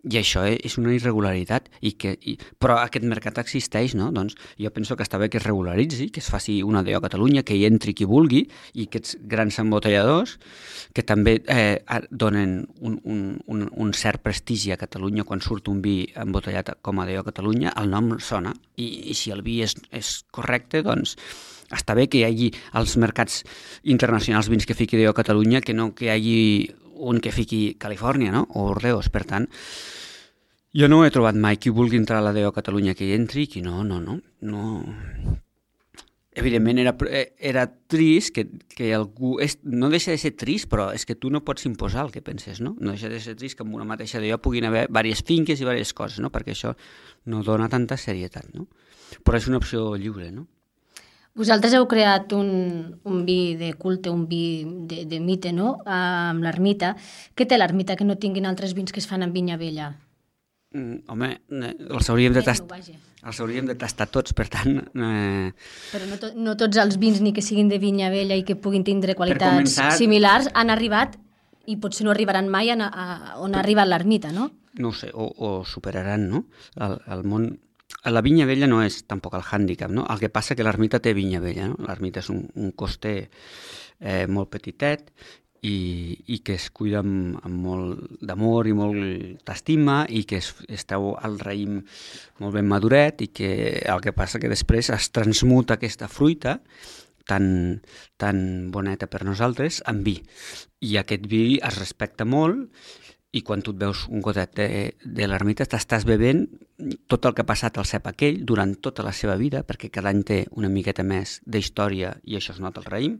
I això és una irregularitat, i que, i, però aquest mercat existeix, no? Doncs jo penso que està bé que es regularitzi, que es faci una D O a Catalunya, que hi entri qui vulgui, i aquests grans embotelladors, que també eh, donen un, un, un, un cert prestigi a Catalunya quan surt un vi embotellat com a D O a Catalunya, el nom sona, i, i si el vi és, és correcte, doncs està bé que hi hagi als mercats internacionals vins que fiqui D O a Catalunya, que no que hi hagi un que fiqui Califòrnia, no? O Ordeos. Per tant, jo no he trobat mai qui vulgui entrar a la D O a Catalunya que hi entri, qui no, no, no. no. Evidentment era, era trist que, que algú... És, no deixa de ser trist, però és que tu no pots imposar el que penses, no? No deixa de ser trist que en una mateixa D O puguin haver diverses finques i diverses coses, no? Perquè això no dona tanta serietat, no? Però és una opció lliure, no? Vosaltres heu creat un, un vi de culte, un vi de, de mite, no?, amb l'ermita. Què té l'ermita que no tinguin altres vins que es fan amb vinya vella? Mm, home, els hauríem, de tast... els hauríem de tastar tots, per tant... Eh... Però no, to no tots els vins, ni que siguin de vinya vella i que puguin tindre qualitats començar... similars, han arribat, i potser no arribaran mai a, a, on ha arribat l'ermita, no? No ho sé, o, o superaran, no? El, el món... La vinya vella no és tampoc el hàndicap, no? El que passa que l'ermita té vinya vella, no? L'ermita és un, un coster eh, molt petitet i, i que es cuida amb, amb molt d'amor i molt d'estima, i que es, esteu al raïm molt ben maduret, i que el que passa que després es transmuta aquesta fruita tan, tan boneta per nosaltres en vi. I aquest vi es respecta molt, i quan tu et veus un gotet de, de l'ermita t'estàs bevent tot el que ha passat al cep aquell durant tota la seva vida, perquè cada any té una miqueta més d'història i això es nota al raïm,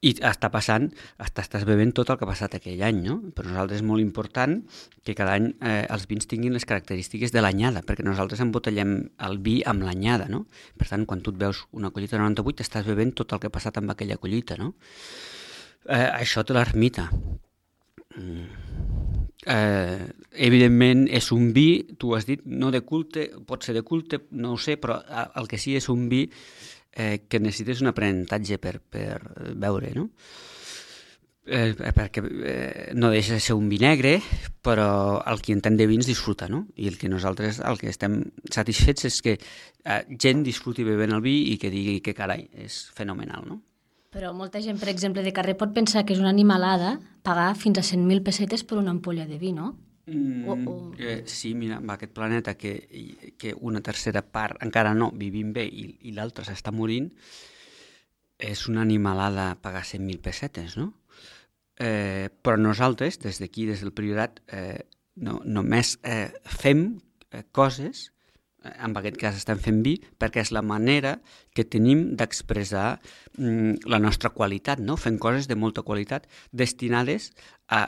i està passant, estàs bevent tot el que ha passat aquell any, no? Per nosaltres és molt important que cada any eh, els vins tinguin les característiques de l'anyada, perquè nosaltres embotellem el vi amb l'anyada, no? Per tant, quan tu et veus una collita noranta-vuit, estàs bevent tot el que ha passat amb aquella collita, no? Eh, això té l'ermita. Mm. Eh, evidentment és un vi, tu has dit, no de culte, pot ser de culte, no ho sé, però el que sí és un vi eh, que necessites un aprenentatge per, per veure, no? Eh, perquè eh, no deixa de ser un vi negre, però el qui entén de vins disfruta, no? I el que nosaltres, el que estem satisfets és que eh, gent disfruti bevent el vi i que digui que carai, és fenomenal, no? Però molta gent, per exemple, de carrer pot pensar que és una animalada pagar fins a cent mil pessetes per una ampolla de vi, no? Mm, o, o... Eh, sí, mira, amb aquest planeta que, que una tercera part encara no vivim bé i, i l'altra s'està morint, és una animalada pagar cent mil pessetes, no? Eh, però nosaltres, des d'aquí, des del Priorat, eh, no, només eh, fem eh, coses, en aquest cas estem fent vi, perquè és la manera que tenim d'expressar mm, la nostra qualitat, no? Fent coses de molta qualitat destinades a,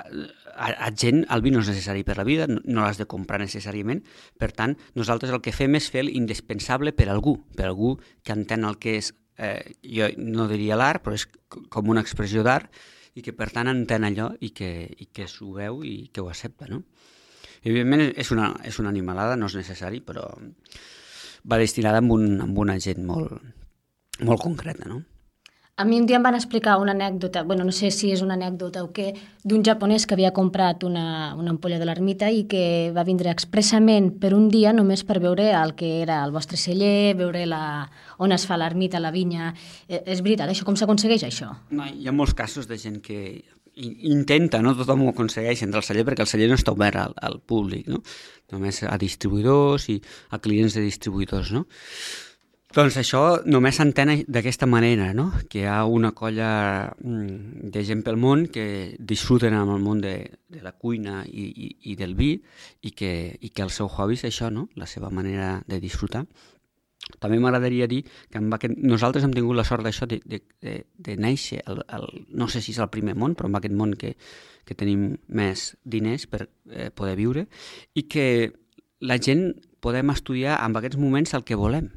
a, a gent. El vi no és necessari per la vida, no, no l'has de comprar necessàriament, per tant, nosaltres el que fem és fer l'indispensable per algú, per algú que entén el que és, eh, jo no diria l'art, però és com una expressió d'art, i que per tant entén allò i que, i que s'ho veu i que ho accepta, no? Evidentment és una, és una animalada, no és necessari, però va destinada amb, un, amb una gent molt, molt concreta, no? A mi un dia em van explicar una anècdota, bueno, no sé si és una anècdota o què, d'un japonès que havia comprat una, una ampolla de l'ermita i que va vindre expressament per un dia només per veure el que era el vostre celler, veure la, on es fa l'ermita, la vinya. Eh, és veritat, això com s'aconsegueix, això? No, hi ha molts casos de gent que intenta, no tothom ho aconsegueix entrar al celler, perquè el celler no està obert al, al públic, no? Només a distribuïdors i a clients de distribuïdors, no? Doncs això només s'entén d'aquesta manera, no? Que hi ha una colla de gent pel món que disfruten amb el món de, de la cuina i, i, i del vi, i que, i que el seu hobby és això, no? La seva manera de disfrutar. També m'agradaria dir que amb aquest, nosaltres hem tingut la sort d'això, de, de, de, de néixer, el, el, no sé si és el primer món, però en aquest món que, que tenim més diners per eh, poder viure, i que la gent podem estudiar en aquests moments el que volem,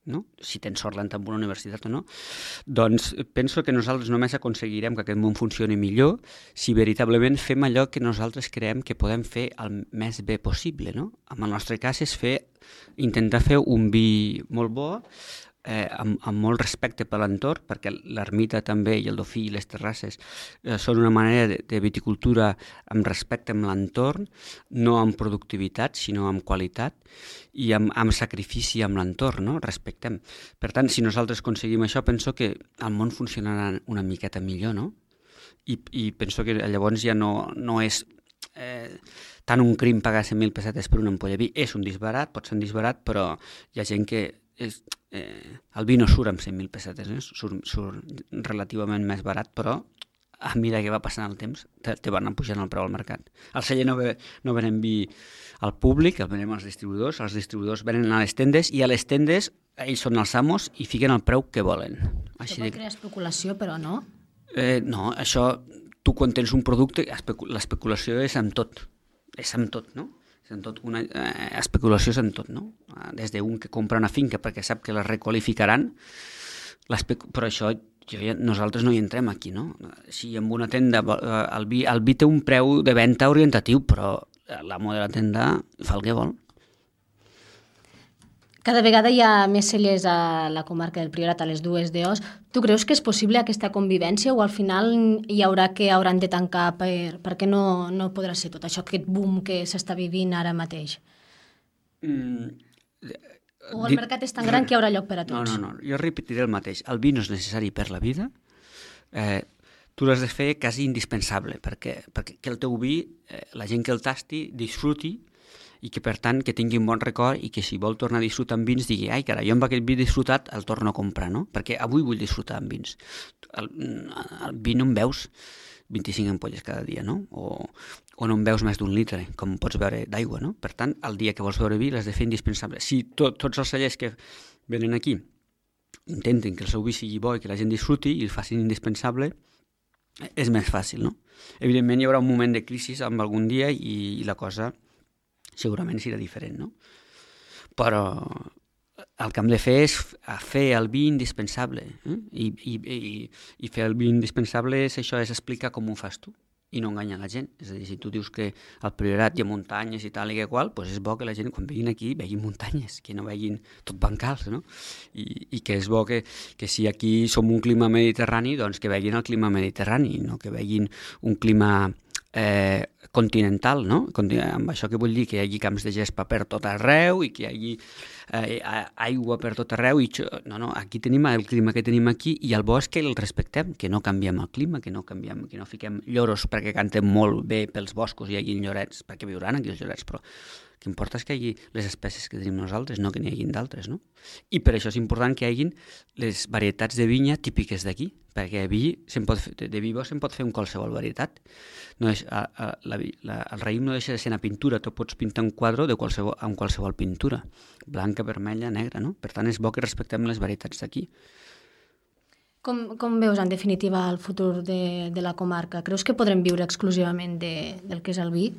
no? Si tens sort d'entrar en una universitat o no, doncs penso que nosaltres només aconseguirem que aquest món funcioni millor si veritablement fem allò que nosaltres creiem que podem fer el més bé possible, no? En el nostre cas és fer, intentar fer un vi molt bo, eh, amb, amb molt respecte per l'entorn, perquè l'ermita també i el dofí i les terrasses eh, són una manera de, de viticultura amb respecte amb l'entorn, no amb productivitat, sinó amb qualitat i amb, amb sacrifici amb l'entorn, no? Respectem. Per tant, si nosaltres aconseguim això, penso que el món funcionarà una miqueta millor, no? I, i penso que llavors ja no, no és eh, tant un crim pagar cent mil pessetes per una ampolla de vi. És un disbarat, pot ser un disbarat, però hi ha gent que és, eh, el vi no surt amb cent mil pessetes, eh? surt, surt relativament més barat, però a mesura que va passant el temps te, te van pujant el preu al mercat. Al celler no, ve, no venen vi al públic, el venem als distribuïdors, els distribuïdors venen a les tendes i a les tendes ells són els amos i fiquen el preu que volen. Això pot crear especulació, però no? Eh, no, això, tu quan tens un producte, l'especulació és amb tot, és amb tot, no? És amb tot, una eh, especulació és amb tot, no? Des d'un que compra una finca perquè sap que la requalificaran, però això jo ja, nosaltres no hi entrem aquí, no? Si en una tenda el vi, el vi té un preu de venda orientatiu, però l'amo de la tenda fa el que vol. Cada vegada hi ha més cellers a la comarca del Priorat, a les dues D Os. Tu creus que és possible aquesta convivència o al final hi haurà que hauran de tancar per, perquè no, no podrà ser tot això, aquest boom que s'està vivint ara mateix? Mm, o el mercat és tan gran que hi haurà lloc per a tots? No, no, no, jo repetiré el mateix. El vi no és necessari per la vida. Eh, tu l'has de fer quasi indispensable perquè, perquè que el teu vi, eh, la gent que el tasti, disfruti i que, per tant, que tingui un bon record i que si vol tornar a disfrutar amb vins digui ai, carai, jo amb aquest vi disfrutat el torno a comprar, no? Perquè avui vull disfrutar amb vins. El, el vi no en veus vint-i-cinc ampolles cada dia, no? O, o no en veus més d'un litre, com pots beure d'aigua, no? Per tant, el dia que vols beure vi l'has de fer indispensable. Si to, tots els cellers que venen aquí intenten que el seu vi sigui bo i que la gent disfruti i el facin indispensable, és més fàcil, no? Evidentment hi haurà un moment de crisi amb algun dia i, i la cosa segurament serà diferent, no? Però el que hem de fer és fer el vi indispensable, eh? I, i, i, i fer el vi indispensable és això, és explicar com ho fas tu i no enganyar la gent. És a dir, si tu dius que al Priorat hi ha muntanyes i tal i que qual, doncs és bo que la gent quan vegin aquí vegin muntanyes, que no vegin tot bancals, no? I, i que és bo que, que si aquí som un clima mediterrani, doncs que vegin el clima mediterrani, no que vegin un clima eh, continental, no? Amb això que vull dir que hi hagi camps de gespa per tot arreu i que hi hagi eh, aigua per tot arreu. I no, no, aquí tenim el clima que tenim aquí i el bo és que el respectem, que no canviem el clima, que no canviem, que no fiquem lloros perquè cantem molt bé pels boscos i hi hagi llorets, perquè viuran aquí els llorets, però el que importa és que hi hagi les espècies que tenim nosaltres, no que n'hi hagin d'altres, no? I per això és important que hi hagin les varietats de vinya típiques d'aquí, perquè vi pot fer, de vi bo se'n pot fer amb qualsevol varietat. No és, a, a, la, la, el raïm no deixa de ser una pintura, tu pots pintar un quadre de qualsevol, amb qualsevol pintura, blanca, vermella, negra, no? Per tant, és bo que respectem les varietats d'aquí. Com, com veus, en definitiva, el futur de, de la comarca? Creus que podrem viure exclusivament de, del que és el vi?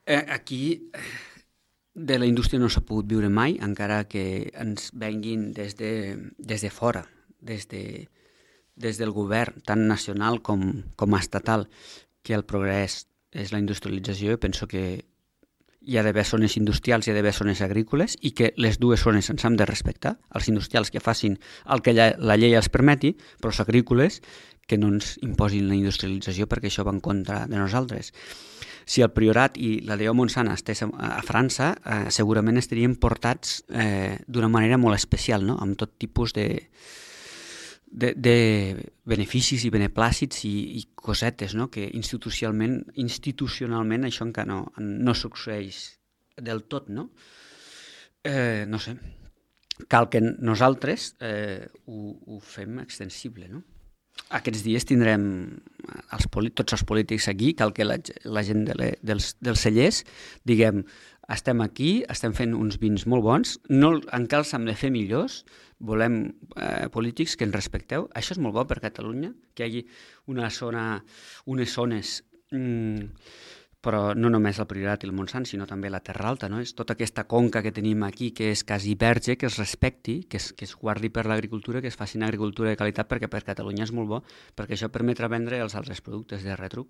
Eh, aquí de la indústria no s'ha pogut viure mai, encara que ens venguin des de, des de fora, des, de, des del govern, tant nacional com, com estatal, que el progrés és la industrialització. Jo penso que hi ha d'haver zones industrials, hi ha d'haver zones agrícoles i que les dues zones ens hem de respectar. Els industrials que facin el que la, la llei els permeti, però els agrícoles que no ens imposin la industrialització perquè això va en contra de nosaltres. Si el Priorat i la D O Montsant estés a, a França, eh, segurament estaríem portats eh, d'una manera molt especial, no? Amb tot tipus de, de, de beneficis i beneplàcits i, i cosetes, no? Que institucionalment, institucionalment això encara no, no succeeix del tot, no? Eh, no sé. Cal que nosaltres eh, ho, ho fem extensible, no? Aquests dies tindrem els, tots els polítics aquí, cal que la, la gent de le, dels, dels cellers diguem, estem aquí, estem fent uns vins molt bons, no encara els hem de fer millors, volem eh, polítics que ens respecteu. Això és molt bo per Catalunya, que hi hagi una zona, unes zones, mm, però no només el Priorat i el Montsant, sinó també la Terra Alta, no? És tota aquesta conca que tenim aquí, que és quasi verge, que es respecti, que es, que es guardi per l'agricultura, que es faci una agricultura de qualitat, perquè per Catalunya és molt bo, perquè això permetrà vendre els altres productes de retruc.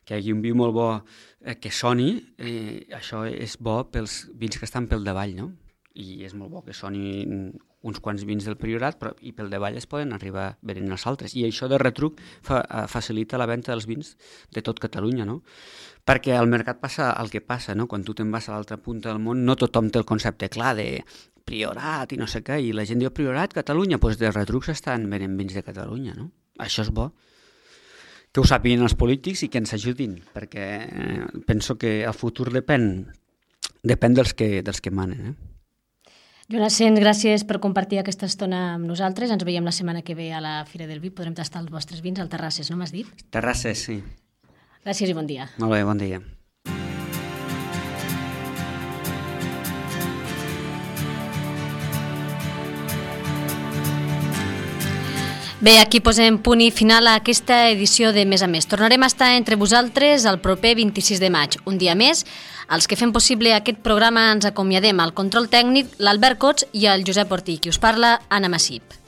Que hi hagi un vi molt bo eh, que soni, eh, això és bo pels vins que estan pel davall, no? i és molt bo que sonin uns quants vins del Priorat, però i pel davall es poden arribar venent els altres. I això de retruc fa, facilita la venda dels vins de tot Catalunya, no? Perquè al mercat passa el que passa, no? Quan tu te'n vas a l'altra punta del món, no tothom té el concepte clar de Priorat i no sé què, i la gent diu Priorat, Catalunya, doncs de retruc s'estan venent vins de Catalunya, no? Això és bo. Que ho sàpiguen els polítics i que ens ajudin, perquè eh, penso que el futur depèn, depèn dels que, dels que manen, eh? Joan Asens, gràcies per compartir aquesta estona amb nosaltres. Ens veiem la setmana que ve a la Fira del Vi. Podrem tastar els vostres vins al Terrasses, no m'has dit? Terrasses, sí. Gràcies i bon dia. Molt bé, bon dia. Bé, aquí posem punt i final a aquesta edició de Més a Més. Tornarem a estar entre vosaltres el proper vint-i-sis de maig, un dia més. Els que fem possible aquest programa ens acomiadem al control tècnic l'Albert Cots i el Josep Ortí, qui us parla, Anna Massip.